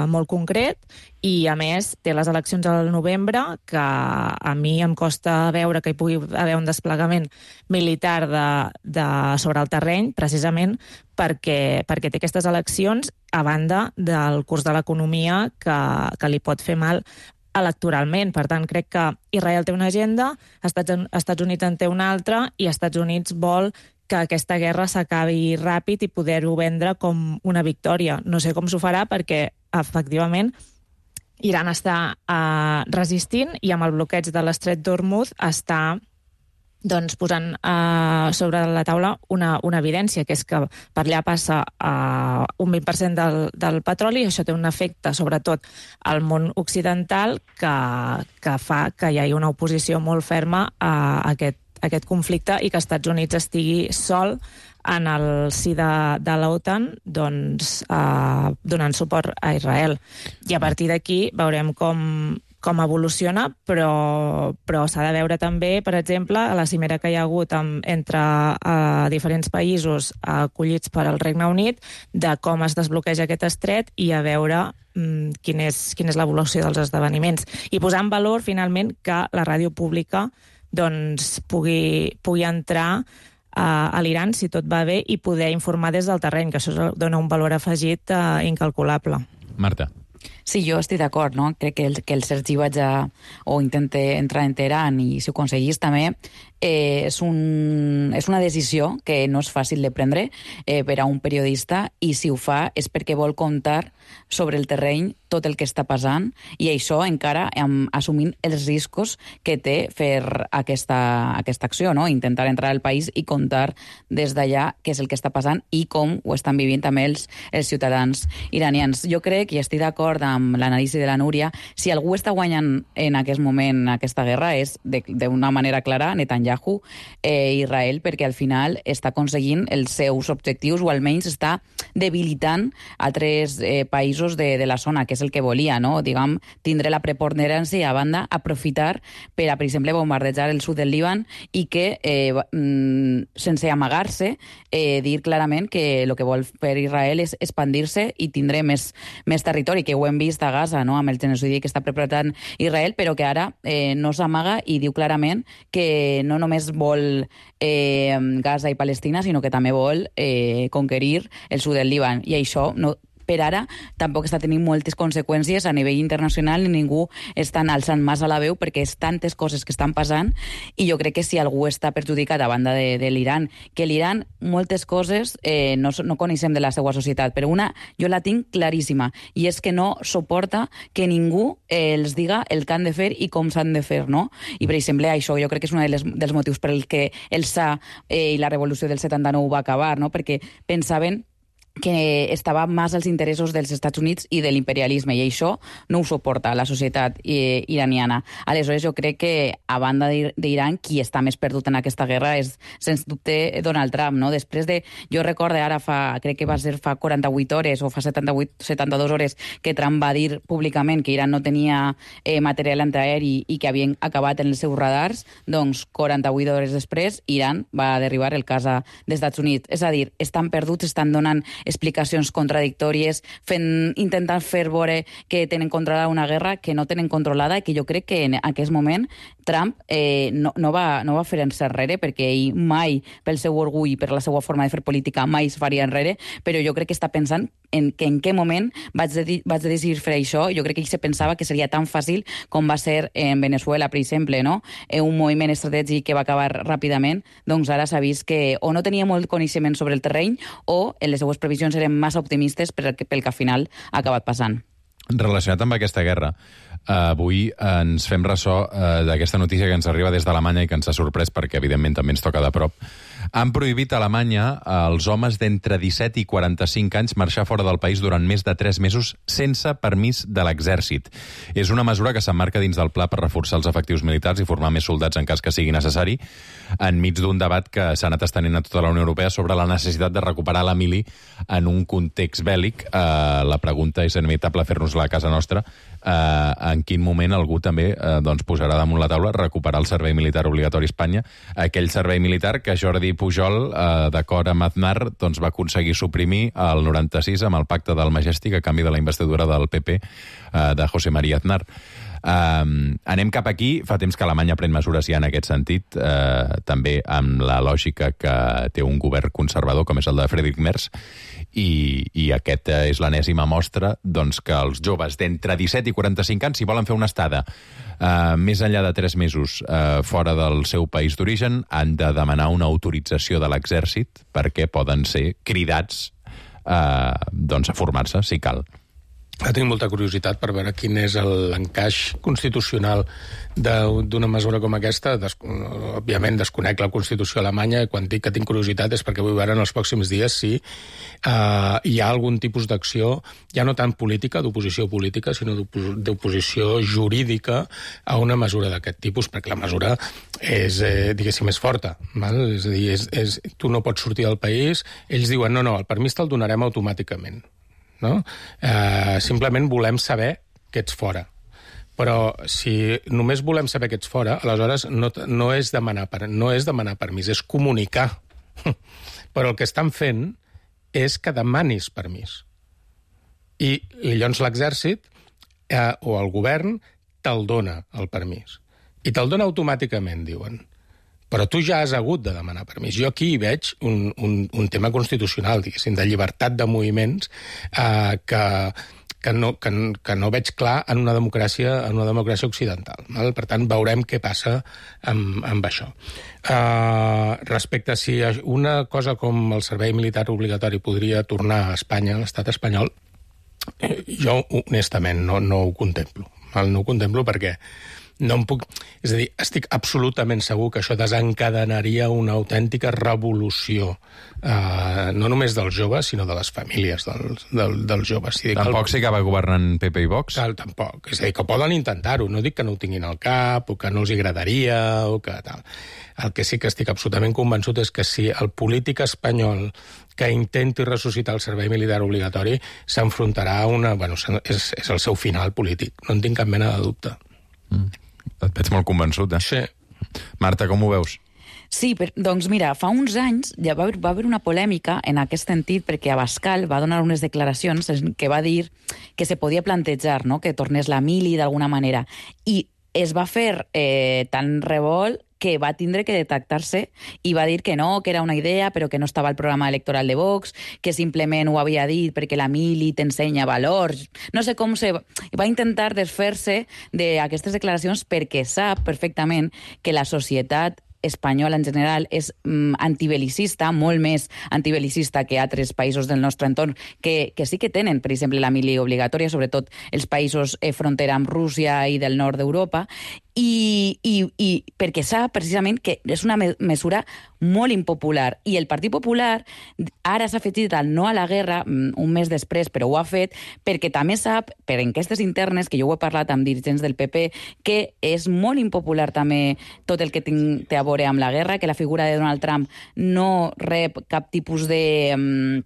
molt concret, i a més té les eleccions al novembre, que a mi em costa veure que hi pugui haver un desplegament militar sobre el terreny, precisament perquè té aquestes eleccions, a banda del curs de l'economia que li pot fer mal electoralment. Per tant, crec que Israel té una agenda, Estats Units en té una altra, i Estats Units vol que aquesta guerra s'acabi ràpid i poder-ho vendre com una victòria. No sé com s'ho farà, perquè, efectivament, Iran està resistint, i amb el bloqueig de l'estret d'Hormuz està posant sobre la taula una evidència, que és que per allà passa un 20% del petroli, i això té un efecte sobretot al món occidental que fa que hi hagi una oposició molt ferma a aquest conflicte, i que Estats Units estigui sol en el si de l'OTAN, donant suport a Israel. I a partir d'aquí veurem com evoluciona, però s'ha de veure també, per exemple, a la cimera que hi ha hagut entre diferents països acollits per al Regne Unit, de com es desbloqueja aquest estret, i a veure quina és l'evolució dels esdeveniments. I posar en valor, finalment, que la ràdio pública pugui entrar a l'Iran, si tot va bé, i poder informar des del terreny, que això dona un valor afegit incalculable. Marta. Sí, jo estic d'acord, no? Crec que el Sergi intenta entrar en Teheran, i si ho aconseguís també, és una decisió que no és fàcil de prendre per a un periodista, i si ho fa és perquè vol comptar sobre el terreny tot el que està passant, i això encara assumint els riscos que té fer aquesta acció, no? Intentar entrar al país i contar des d'allà què és el que està passant i com ho estan vivint també els ciutadans iranians. Jo crec, i estic d'acord amb l'anàlisi de la Núria, si algú està guanyant en aquest moment aquesta guerra és d'una manera clara Netanyahu, Israel, perquè al final està aconseguint els seus objectius, o almenys està debilitant altres països de la zona, que és el que volia, no? Diguem, tindre la preponderància, i a banda aprofitar per exemple, bombardejar el sud del Líban, i que, sense amagar-se, dir clarament que el que vol fer Israel és expandir-se i tindre més territori, que ho hem vist a Gaza, no? Amb el genocidi que està preparant Israel, però que ara no s'amaga i diu clarament que no només vol Gaza i Palestina, sinó que també vol conquerir el sud del Líban. I això per ara tampoc està tenint moltes conseqüències a nivell internacional i ningú està alçant massa la veu perquè és tantes coses que estan passant i jo crec que si algú està perjudicat a banda de l'Iran, que l'Iran moltes coses no coneixem de la seva societat, però una jo la tinc claríssima i és que no suporta que ningú els diga el que han de fer i com s'han de fer, no? I per exemple això jo crec que és un dels motius per el que el SA i la revolució del 79 va acabar, no? Perquè pensaven que estava més als interessos dels Estats Units i de l'imperialisme, i això no ho suporta la societat iraniana. Aleshores, jo crec que, a banda d'Iran, qui està més perdut en aquesta guerra és, sens dubte, Donald Trump, no? Després de... Jo recordo ara crec que va ser fa 48 hores o fa 72 hores que Trump va dir públicament que Iran no tenia material antiaeri i que havien acabat en els seus radars, doncs 48 hores després Iran va derribar el cas dels Estats Units. És a dir, estan perduts, estan donant explicacions contradictòries, intentant fer veure que tenen controlada una guerra que no tenen controlada i que jo crec que en aquest moment Trump no va fer enrere perquè ell mai, pel seu orgull i per la seva forma de fer política, mai es faria enrere, però jo crec que està pensant en què moment vaig decidir fer això. Jo crec que ell se pensava que seria tan fàcil com va ser en Venezuela, per exemple, no? Un moviment estratègic que va acabar ràpidament, doncs ara s'ha vist que o no tenia molt coneixement sobre el terreny o en les seues previsions eren massa optimistes pel que al final ha acabat passant. Relacionat amb aquesta guerra, avui ens fem ressò d'aquesta notícia que ens arriba des d'Alemanya i que ens ha sorprès perquè, evidentment, també ens toca de prop. Han prohibit a Alemanya als homes d'entre 17 i 45 anys marxar fora del país durant més de 3 mesos sense permís de l'exèrcit. És una mesura que s'emmarca dins del pla per reforçar els efectius militars i formar més soldats en cas que sigui necessari, enmig d'un debat que s'ha anat estenent a tota la Unió Europea sobre la necessitat de recuperar la mili en un context bèl·lic. La pregunta és inevitable fer-nos-la a casa nostra. En quin moment algú també posarà damunt la taula recuperar el servei militar obligatori a Espanya, aquell servei militar que Jordi Pujol, d'acord amb Aznar, va aconseguir suprimir el 96 amb el pacte del Majestic a canvi de la investidura del PP de José María Aznar. Anem cap aquí. Fa temps que Alemanya pren mesures ja en aquest sentit, també amb la lògica que té un govern conservador com és el de Friedrich Merz, i aquesta és l'enèsima mostra que els joves d'entre 17 i 45 anys, si volen fer una estada més enllà de 3 mesos fora del seu país d'origen, han de demanar una autorització de l'exèrcit perquè poden ser cridats a formar-se, si cal. Tinc molta curiositat per veure quin és l'encaix constitucional d'una mesura com aquesta. Òbviament desconec la Constitució alemanya i quan dic que tinc curiositat és perquè vull veure en els pròxims dies si hi ha algun tipus d'acció, ja no tant política, d'oposició política, sinó d'oposició jurídica a una mesura d'aquest tipus, perquè la mesura és, diguéssim, més forta. Val? És a dir, tu no pots sortir del país, ells diuen no, el permís te'l donarem automàticament. No? Simplement volem saber que ets fora. Però si només volem saber que ets fora, aleshores no és demanar permís, és comunicar. Però el que estan fent és que demanis permís. I llavors l'exèrcit o el govern te'l dona, el permís. I te'l dona automàticament, diuen. Però tu ja has hagut de demanar permís. Jo aquí hi veig un tema constitucional, diguéssim, de llibertat de moviments que no veig clar en una democràcia occidental. Val? Per tant, veurem què passa amb això. Respecte a si una cosa com el servei militar obligatori podria tornar a Espanya, a l'estat espanyol, jo honestament no ho contemplo. No ho contemplo perquè no em puc... És a dir, estic absolutament segur que això desencadenaria una autèntica revolució, no només dels joves, sinó de les famílies dels joves. Tampoc si acaba governant PP i Vox? Tampoc. És a dir, que poden intentar-ho. No dic que no ho tinguin al cap, o que no els agradaria, o que tal. El que sí que estic absolutament convençut és que si el polític espanyol que intenti ressuscitar el servei militar obligatori s'enfrontarà a una... Bueno, és el seu final polític. No en tinc cap mena de dubte. Et veig molt convençut, eh? Sí. Marta, com ho veus? Sí, doncs mira, fa uns anys ja va haver una polèmica en aquest sentit perquè Abascal va donar unes declaracions que va dir que se podia plantejar, no?, que tornés la mili d'alguna manera. I es va fer tan revolt que va tindre que detectar-se i va dir que no, que era una idea, però que no estava al programa electoral de Vox, que simplement ho havia dit perquè la mili t'ensenya valors. No sé com va intentar desfer-se d'aquestes declaracions perquè sap perfectament que la societat espanyola en general és antibelicista, molt més antibelicista que altres països del nostre entorn, que sí que tenen, per exemple, la mili obligatòria, sobretot els països frontera amb Rússia i del nord d'Europa, i perquè sap precisament que és una mesura molt impopular. I el Partit Popular ara s'ha afegit al no a la guerra un mes després, però ho ha fet perquè també sap, per enquestes internes, que jo ho he parlat amb dirigents del PP, que és molt impopular també tot el que té a veure amb la guerra, que la figura de Donald Trump no rep cap tipus de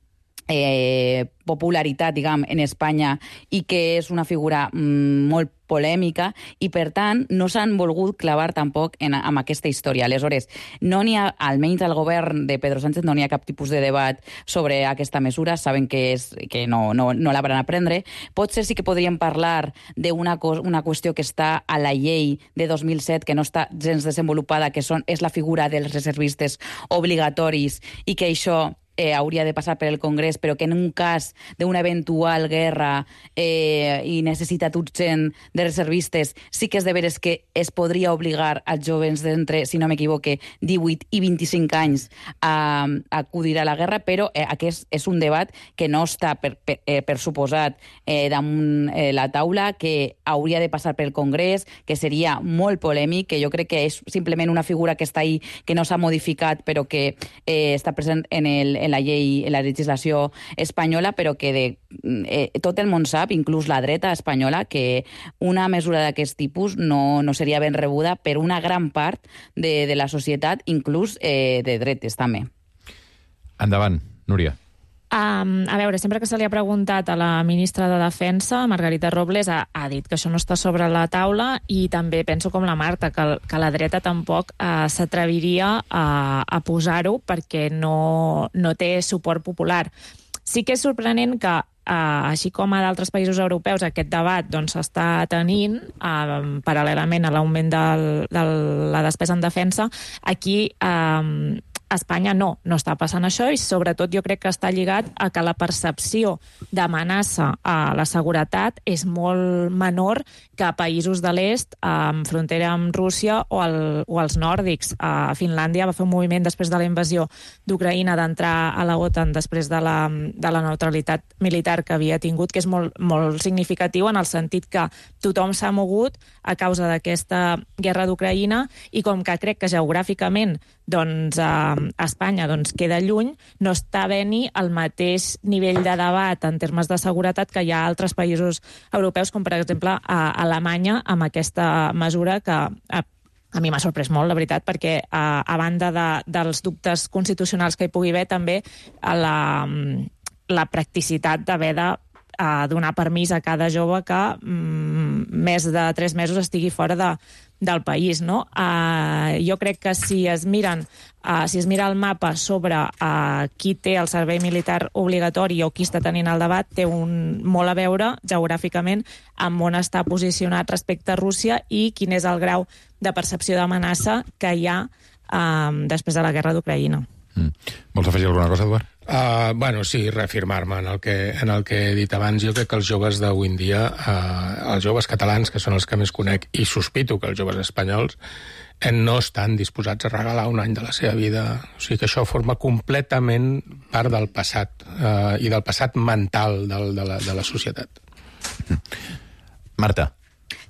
popularitat, diguem, en Espanya i que és una figura molt polèmica i, per tant, no s'han volgut clavar tampoc amb aquesta història. Aleshores, no n'hi ha, almenys al govern de Pedro Sánchez, no n'hi ha cap tipus de debat sobre aquesta mesura. Saben que no la van a prendre. Potser sí que podríem parlar d'una qüestió que està a la llei de 2007, que no està gens desenvolupada, que és la figura dels reservistes obligatoris i que això hauria de passar per el Congrés, però que en un cas d'una eventual guerra i necessitat urgent de reservistes, sí que és de veres que es podria obligar als joves d'entre, si no m'equivoque, 18 i 25 anys a acudir a la guerra, però aquest és un debat que no està, per suposat, damunt la taula, que hauria de passar pel Congrés, que seria molt polèmic, que jo crec que és simplement una figura que està ahí, que no s'ha modificat, però que està present en la llei, en la legislació espanyola, però que tot el món sap, inclús la dreta espanyola, que una mesura d'aquest tipus no seria ben rebuda per una gran part de la societat, inclús de dretes també. Endavant, Núria. A veure, sempre que se li ha preguntat a la ministra de Defensa, Margarita Robles, ha dit que això no està sobre la taula, i també penso com la Marta, que la dreta tampoc s'atreviria a posar-ho perquè no té suport popular. Sí que és sorprenent que, així com a d'altres països europeus, aquest debat s'està tenint paral·lelament a l'augment de la despesa en defensa, aquí a Espanya no està passant això, i sobretot jo crec que està lligat a que la percepció d'amenaça a la seguretat és molt menor que a països de l'est, en frontera amb Rússia o als nòrdics. A Finlàndia va fer un moviment després de la invasió d'Ucraïna d'entrar a la OTAN després de la neutralitat militar que havia tingut, que és molt, molt significatiu en el sentit que tothom s'ha mogut a causa d'aquesta guerra d'Ucraïna, i com que crec que geogràficament Espanya queda lluny, no està havent-hi el mateix nivell de debat en termes de seguretat que hi ha a altres països europeus, com per exemple a Alemanya, amb aquesta mesura que a mi m'ha sorprès molt, la veritat, perquè a banda dels dubtes constitucionals que hi pugui haver, també la practicitat d'haver de donar permís a cada jove que més de 3 mesos estigui fora del país, no? Jo crec que si es mira el mapa sobre qui té el servei militar obligatori o qui està tenint el debat, té molt a veure geogràficament amb on està posicionat respecte a Rússia i quin és el grau de percepció d'amenaça que hi ha després de la guerra d'Ucraïna. Vols afegir alguna cosa, Eduard? Sí, reafirmar-me en el que he dit abans. Jo crec que els joves d'avui en dia, els joves catalans, que són els que més conec, i sospito que els joves espanyols, no estan disposats a regalar un any de la seva vida. O sigui que això forma completament part del passat, i del passat mental de la societat. Marta.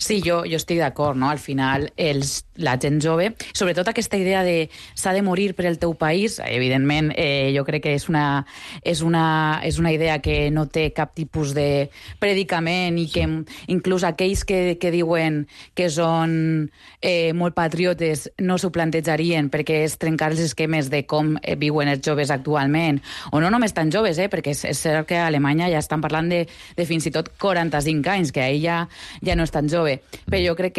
Sí, jo estic d'acord, no? Al final, la gent jove, sobretot aquesta idea de s'ha de morir per el teu país, evidentment, jo crec que és una idea que no té cap tipus de predicament i que inclús aquells que diuen que són molt patriotes no s'ho plantejarien perquè és trencar els esquemes de com viuen els joves actualment, o no només tan joves, perquè és cert que a Alemanya ja estan parlant de fins i tot 45 anys, que ahir ja no és tan jove. Però jo crec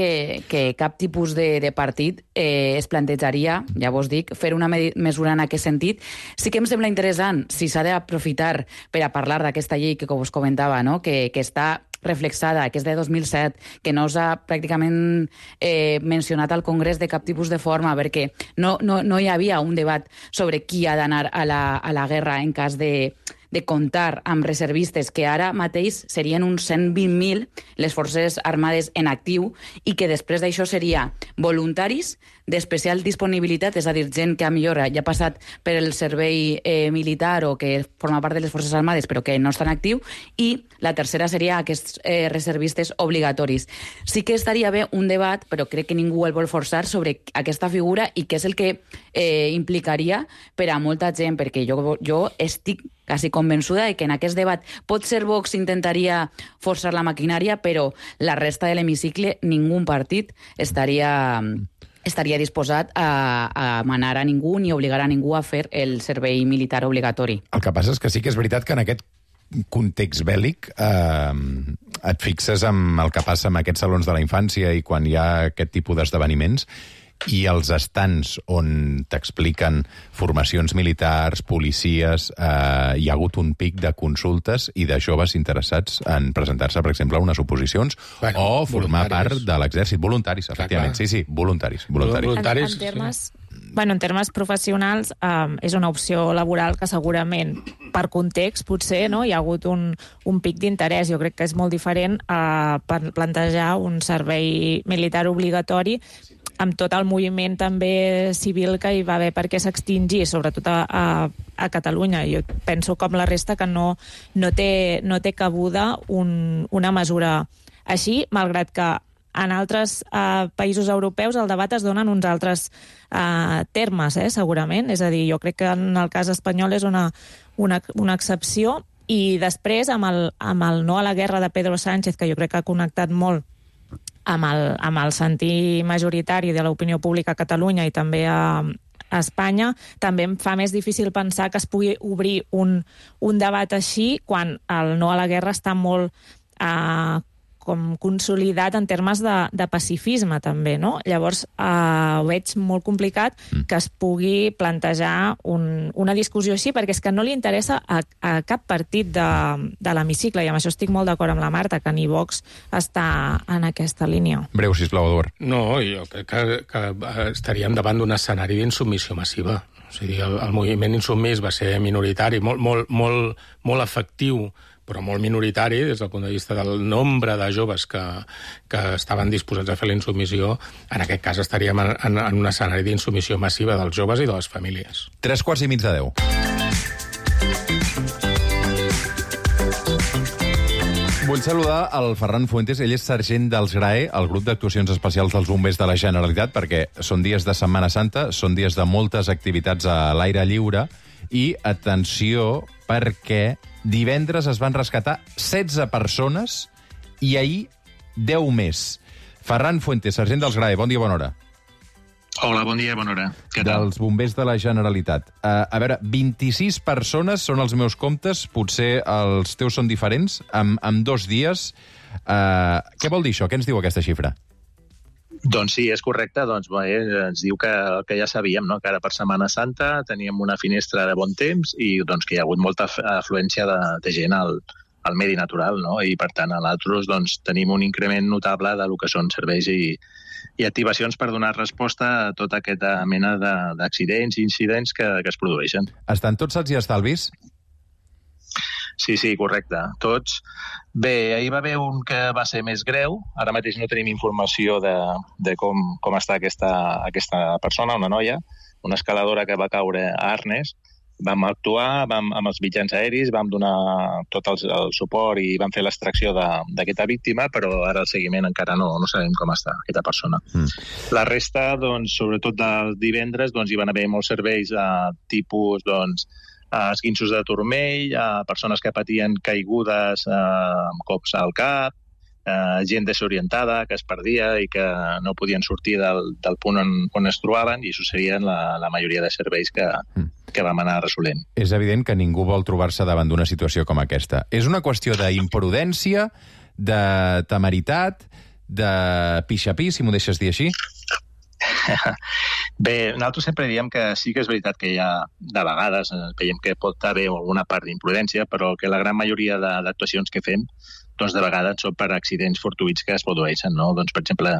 que cap tipus de partit es plantejaria, ja vos dic, fer una mesura en aquest sentit. Sí que em sembla interessant si s'ha d'aprofitar per a parlar d'aquesta llei que us comentava, no? que està reflexada, que és de 2007, que no s'ha pràcticament mencionat al Congrés de cap tipus de forma, perquè no hi havia un debat sobre qui ha d'anar a la guerra en cas de comptar amb reservistes, que ara mateix serien uns 120.000 les forces armades en actiu i que després d'això seria voluntaris d'especial disponibilitat, és a dir, gent que a millor ja ha passat per el servei militar o que forma part de les forces armades però que no estan en actiu, i la tercera seria aquests reservistes obligatoris. Sí que estaria bé un debat, però crec que ningú el vol forçar, sobre aquesta figura i què és el que implicaria per a molta gent, perquè jo estic quasi convençuda de que en aquest debat potser Vox intentaria forçar la maquinària, però la resta de l'hemicicle, ningú partit estaria disposat a manar a ningú ni obligar a ningú a fer el servei militar obligatori. El que passa és que sí que és veritat que en aquest context bèl·lic et fixes en el que passa en aquests salons de la infància i quan hi ha aquest tipus d'esdeveniments, i els estants on t'expliquen formacions militars, policies, hi ha hagut un pic de consultes i de joves interessats en presentar-se, per exemple, a unes oposicions o formar part de l'exèrcit. Voluntaris, efectivament. Sí, voluntaris. En termes professionals, és una opció laboral que segurament, per context, potser hi ha hagut un pic d'interès. Jo crec que és molt diferent per plantejar un servei militar obligatori amb tot el moviment també civil que hi va haver perquè s'extingís, sobretot a Catalunya. Jo penso, com la resta, que no té cabuda una mesura així, malgrat que en altres països europeus el debat es dona en uns altres termes, segurament. És a dir, jo crec que en el cas espanyol és una excepció, i després amb el no a la guerra de Pedro Sánchez, que jo crec que ha connectat molt amb el sentir majoritari de l'opinió pública a Catalunya i també a Espanya, també em fa més difícil pensar que es pugui obrir un debat així quan el no a la guerra està molt com consolidat en termes de pacifisme, també, no? Llavors, ho veig molt complicat que es pugui plantejar una discussió així, perquè és que no li interessa a cap partit de l'hemicicle, i amb això estic molt d'acord amb la Marta, que ni Vox està en aquesta línia. Breu, sisplau, Eduard. No, jo crec que estaríem davant d'un escenari d'insubmissió massiva. O sigui, el moviment insubmís va ser minoritari, molt efectiu, però molt minoritari des del punt de vista del nombre de joves que estaven disposats a fer la insubmissió. En aquest cas estaríem en un escenari d'insubmissió massiva dels joves i de les famílies. 9:45. Vull saludar el Ferran Fuentes, ell és sergent dels GRAE, el grup d'actuacions especials dels bombers de la Generalitat, perquè són dies de Setmana Santa, són dies de moltes activitats a l'aire lliure, i atenció, perquè divendres es van rescatar 16 persones i ahir 10 més. Ferran Fuentes, sergent dels GRAE, bon dia, bona hora. Hola, bon dia, bona hora. Què tal? Dels bombers de la Generalitat. A veure, 26 persones són els meus comptes, potser els teus són diferents, en 2 dies. Què vol dir això? Què ens diu aquesta xifra? Doncs sí, és correcte. Doncs, ens diu que ja sabíem, no? Que ara per Setmana Santa teníem una finestra de bon temps i doncs, que hi ha hagut molta afluència de gent al medi natural, no? I per tant, nosaltres doncs, tenim un increment notable de lo que són serveis i activacions per donar resposta a tota aquesta mena d'accidents i incidents que es produeixen. Estan tots sants i estalvis? Sí, correcte. Tots. Bé, ahir va haver un que va ser més greu. Ara mateix no tenim informació de com està aquesta persona, una noia, una escaladora que va caure a Arnes. Vam actuar amb els mitjans aeris, vam donar tot el suport i vam fer l'extracció d'aquesta víctima, però ara el seguiment encara no sabem com està aquesta persona. La resta, doncs, sobretot del divendres, doncs, hi van haver molts serveis tipus esquinços de turmell, persones que patien caigudes amb cops al cap, gent desorientada que es perdia i que no podien sortir del punt on es trobaven, i això serien la majoria de serveis que vam anar resolent. És evident que ningú vol trobar-se davant d'una situació com aquesta. És una qüestió d'imprudència, de temeritat, de pixapí, si m'ho deixes dir així? Bé, nosaltres sempre diem que sí que és veritat que hi ha, de vegades, veiem que pot haver alguna part d'imprudència, però que la gran majoria d'actuacions que fem, doncs de vegades són per accidents fortuïts que es produeixen, no? Doncs, per exemple,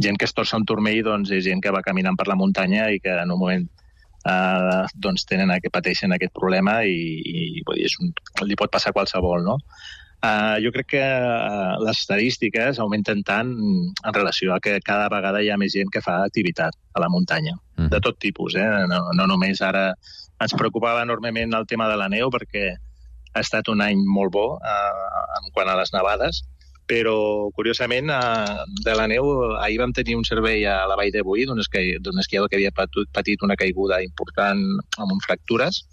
gent que es torça un turmell, doncs és gent que va caminant per la muntanya i que en un moment doncs pateixen aquest problema i li pot passar a qualsevol, no? Jo crec que les estadístiques augmenten tant en relació a que cada vegada hi ha més gent que fa activitat a la muntanya, de tot tipus. No només ara ens preocupava enormement el tema de la neu, perquè ha estat un any molt bo en quant a les nevades, però, curiosament, de la neu, ahir vam tenir un servei a la Vall de Boí d'un esquiador que havia patit una caiguda important amb fractures.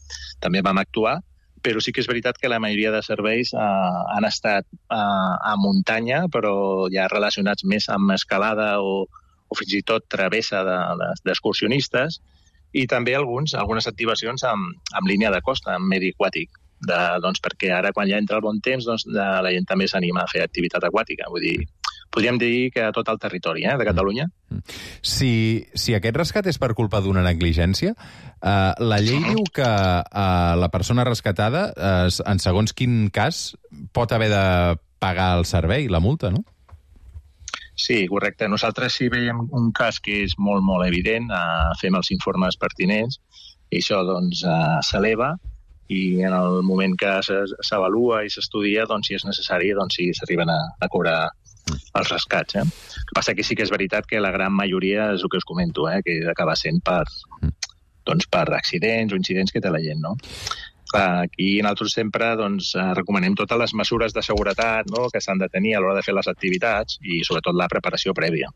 També vam actuar, però sí que és veritat que la majoria de serveis han estat a muntanya, però ja relacionats més amb escalada o fins i tot travessa d'excursionistes, i també algunes activacions amb línia de costa, amb medi aquàtic, perquè ara, quan ja entra el bon temps, la gent també s'anima a fer activitat aquàtica. Vull dir, podríem dir que a tot el territori de Catalunya. Si aquest rescat és per culpa d'una negligència, la llei diu que la persona rescatada, en segons quin cas, pot haver de pagar el servei, la multa, no? Sí, correcte. Nosaltres, si veiem un cas que és molt, molt evident, fem els informes pertinents i això s'eleva, i en el moment que s'avalua i s'estudia, si és necessari, sí s'arriben a cobrar els rescats. El que passa que sí que és veritat que la gran majoria és el que us comento, que acaba sent per accidents o incidents que té la gent, no? Aquí nosaltres sempre recomanem totes les mesures de seguretat que s'han de tenir a l'hora de fer les activitats i sobretot la preparació prèvia.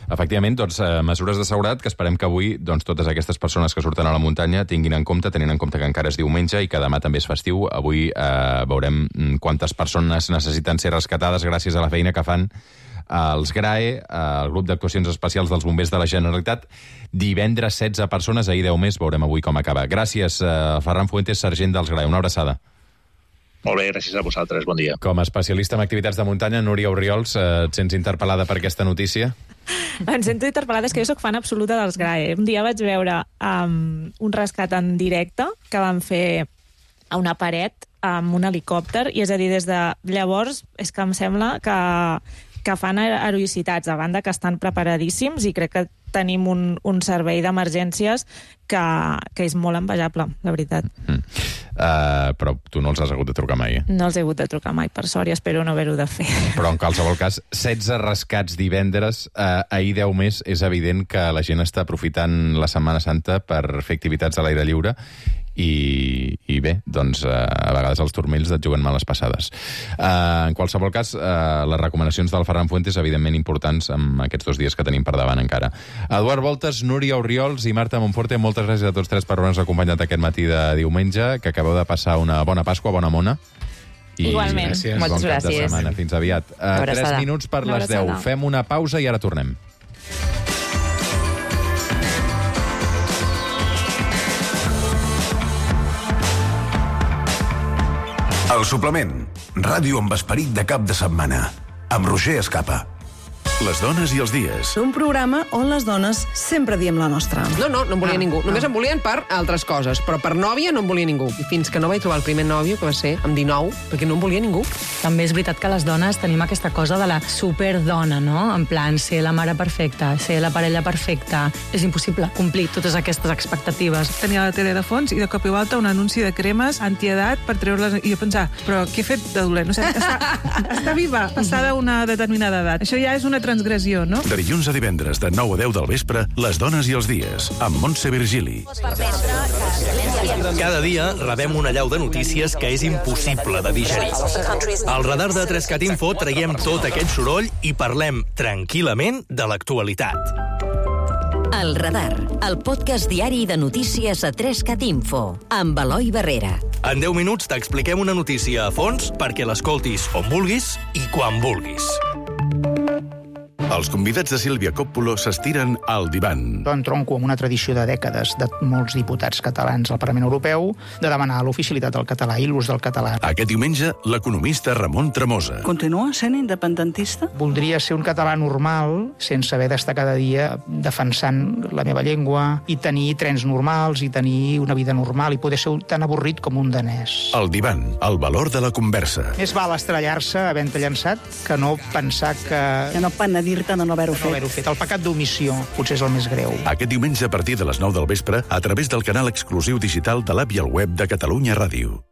Efectivament, mesures de seguretat que esperem que avui totes aquestes persones que surten a la muntanya tinguin en compte, tenint en compte que encara és diumenge i que demà també és festiu. Avui veurem quantes persones necessiten ser rescatades gràcies a la feina que fan els GRAE, el grup d'actuacions especials dels bombers de la Generalitat. Divendres 16 persones, ahir 10 més, veurem avui com acaba. Gràcies, Ferran Fuentes, sergent dels GRAE. Una abraçada. Molt bé, gràcies a vosaltres, bon dia. Com a especialista en activitats de muntanya, Núria Orriols, et sents interpel·lada per aquesta notícia? Em sento interpel·lada, és que jo soc fan absoluta dels GRAE. Un dia vaig veure un rescat en directe que van fer a una paret amb un helicòpter, i és a dir, des de llavors és que em sembla que fan heroïcitats, a banda que estan preparadíssims, i crec que tenim un servei d'emergències que és molt envejable, la veritat. Però tu no els has hagut de trucar mai, No els he hagut de trucar mai, per sort, i espero no haver-ho de fer. Però en qualsevol cas, 16 rescats divendres, ahir 10 més, és evident que la gent està aprofitant la Setmana Santa per fer activitats a l'aire lliure, i bé, a vegades els turmells et juguen males passades. En qualsevol cas, les recomanacions del Ferran Fuentes, evidentment importants en aquests 2 dies que tenim per davant encara. Eduard Voltes, Núria Orriols i Marta Monforte, moltes gràcies a tots tres per haver-nos acompanyat aquest matí de diumenge, que acabeu de passar una bona Pasqua, bona mona. Igualment, moltes gràcies. Fins aviat. 3 minuts per les 10. Fem una pausa i ara tornem. El suplement. Ràdio amb esperit de cap de setmana. Amb Roger Escapa. Les dones i els dies. Un programa on les dones sempre diem la nostra. No em volia ningú. Només em volien per altres coses, però per nòvia no em volia ningú. I fins que no vaig trobar el primer nòvio, que va ser amb 19, perquè no em volia ningú. També és veritat que les dones tenim aquesta cosa de la superdona, no? En plan, ser la mare perfecta, ser la parella perfecta. És impossible complir totes aquestes expectatives. Tenia la tele de fons i de cop i volta un anunci de cremes antiedat per treure-les... I jo pensava, però què he fet de dolent? O sigui, està viva, passada una determinada edat. Això ja és una transgressió, no? De dilluns a divendres, de 9 a 10 del vespre, Les dones i els dies, amb Montse Virgili. Cada dia rebem una allau de notícies que és impossible de digerir. Al radar de 3CAT Info traiem tot aquest soroll i parlem tranquil·lament de l'actualitat. El Radar, el podcast diari de notícies a 3CAT Info, amb Eloi Barrera. En 10 minuts t'expliquem una notícia a fons perquè l'escoltis on vulguis i quan vulguis. Els convidats de Sílvia Coppolo s'estiren al divan. Jo entronco amb una tradició de dècades de molts diputats catalans al Parlament Europeu de demanar l'oficialitat del català i l'ús del català. Aquest diumenge, l'economista Ramon Tremosa. Continua sent independentista? Voldria ser un català normal, sense haver d'estar cada dia defensant la meva llengua i tenir trens normals i tenir una vida normal i poder ser tan avorrit com un danès. El divan, el valor de la conversa. Més val estrellar-se havent-te llançat que no pensar que no penedir-te de no haver-ho fet. El pecat d'omissió potser és el més greu. Aquest diumenge a partir de les 9 del vespre a través del canal exclusiu digital de l'app i el web de Catalunya Ràdio.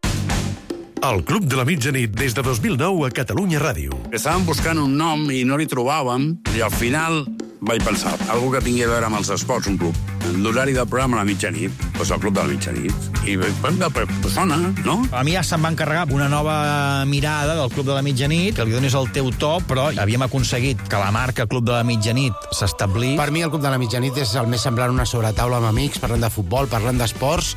El Club de la Mitjanit des de 2009 a Catalunya Ràdio. Estàvem buscant un nom i no li trobàvem i al final vaig pensar, algú que tingui a veure amb els esports, un club. L'horari del programa a la mitjanit, doncs el Club de la Mitjanit. I sona, no? A mi ja se'm va encarregar una nova mirada del Club de la Mitjanit, que li donis el teu to, però havíem aconseguit que la marca Club de la Mitjanit s'establís. Per mi el Club de la Mitjanit és el més semblant a una sobretaula amb amics, parlant de futbol, parlant d'esports,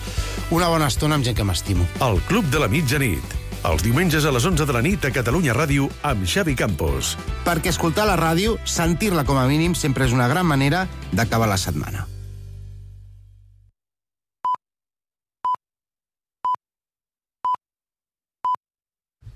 una bona estona amb gent que m'estimo. El Club de la Mitjanit. Els diumenges a les 11 de la nit a Catalunya Ràdio amb Xavi Campos. Perquè escoltar la ràdio, sentir-la com a mínim, sempre és una gran manera d'acabar la setmana.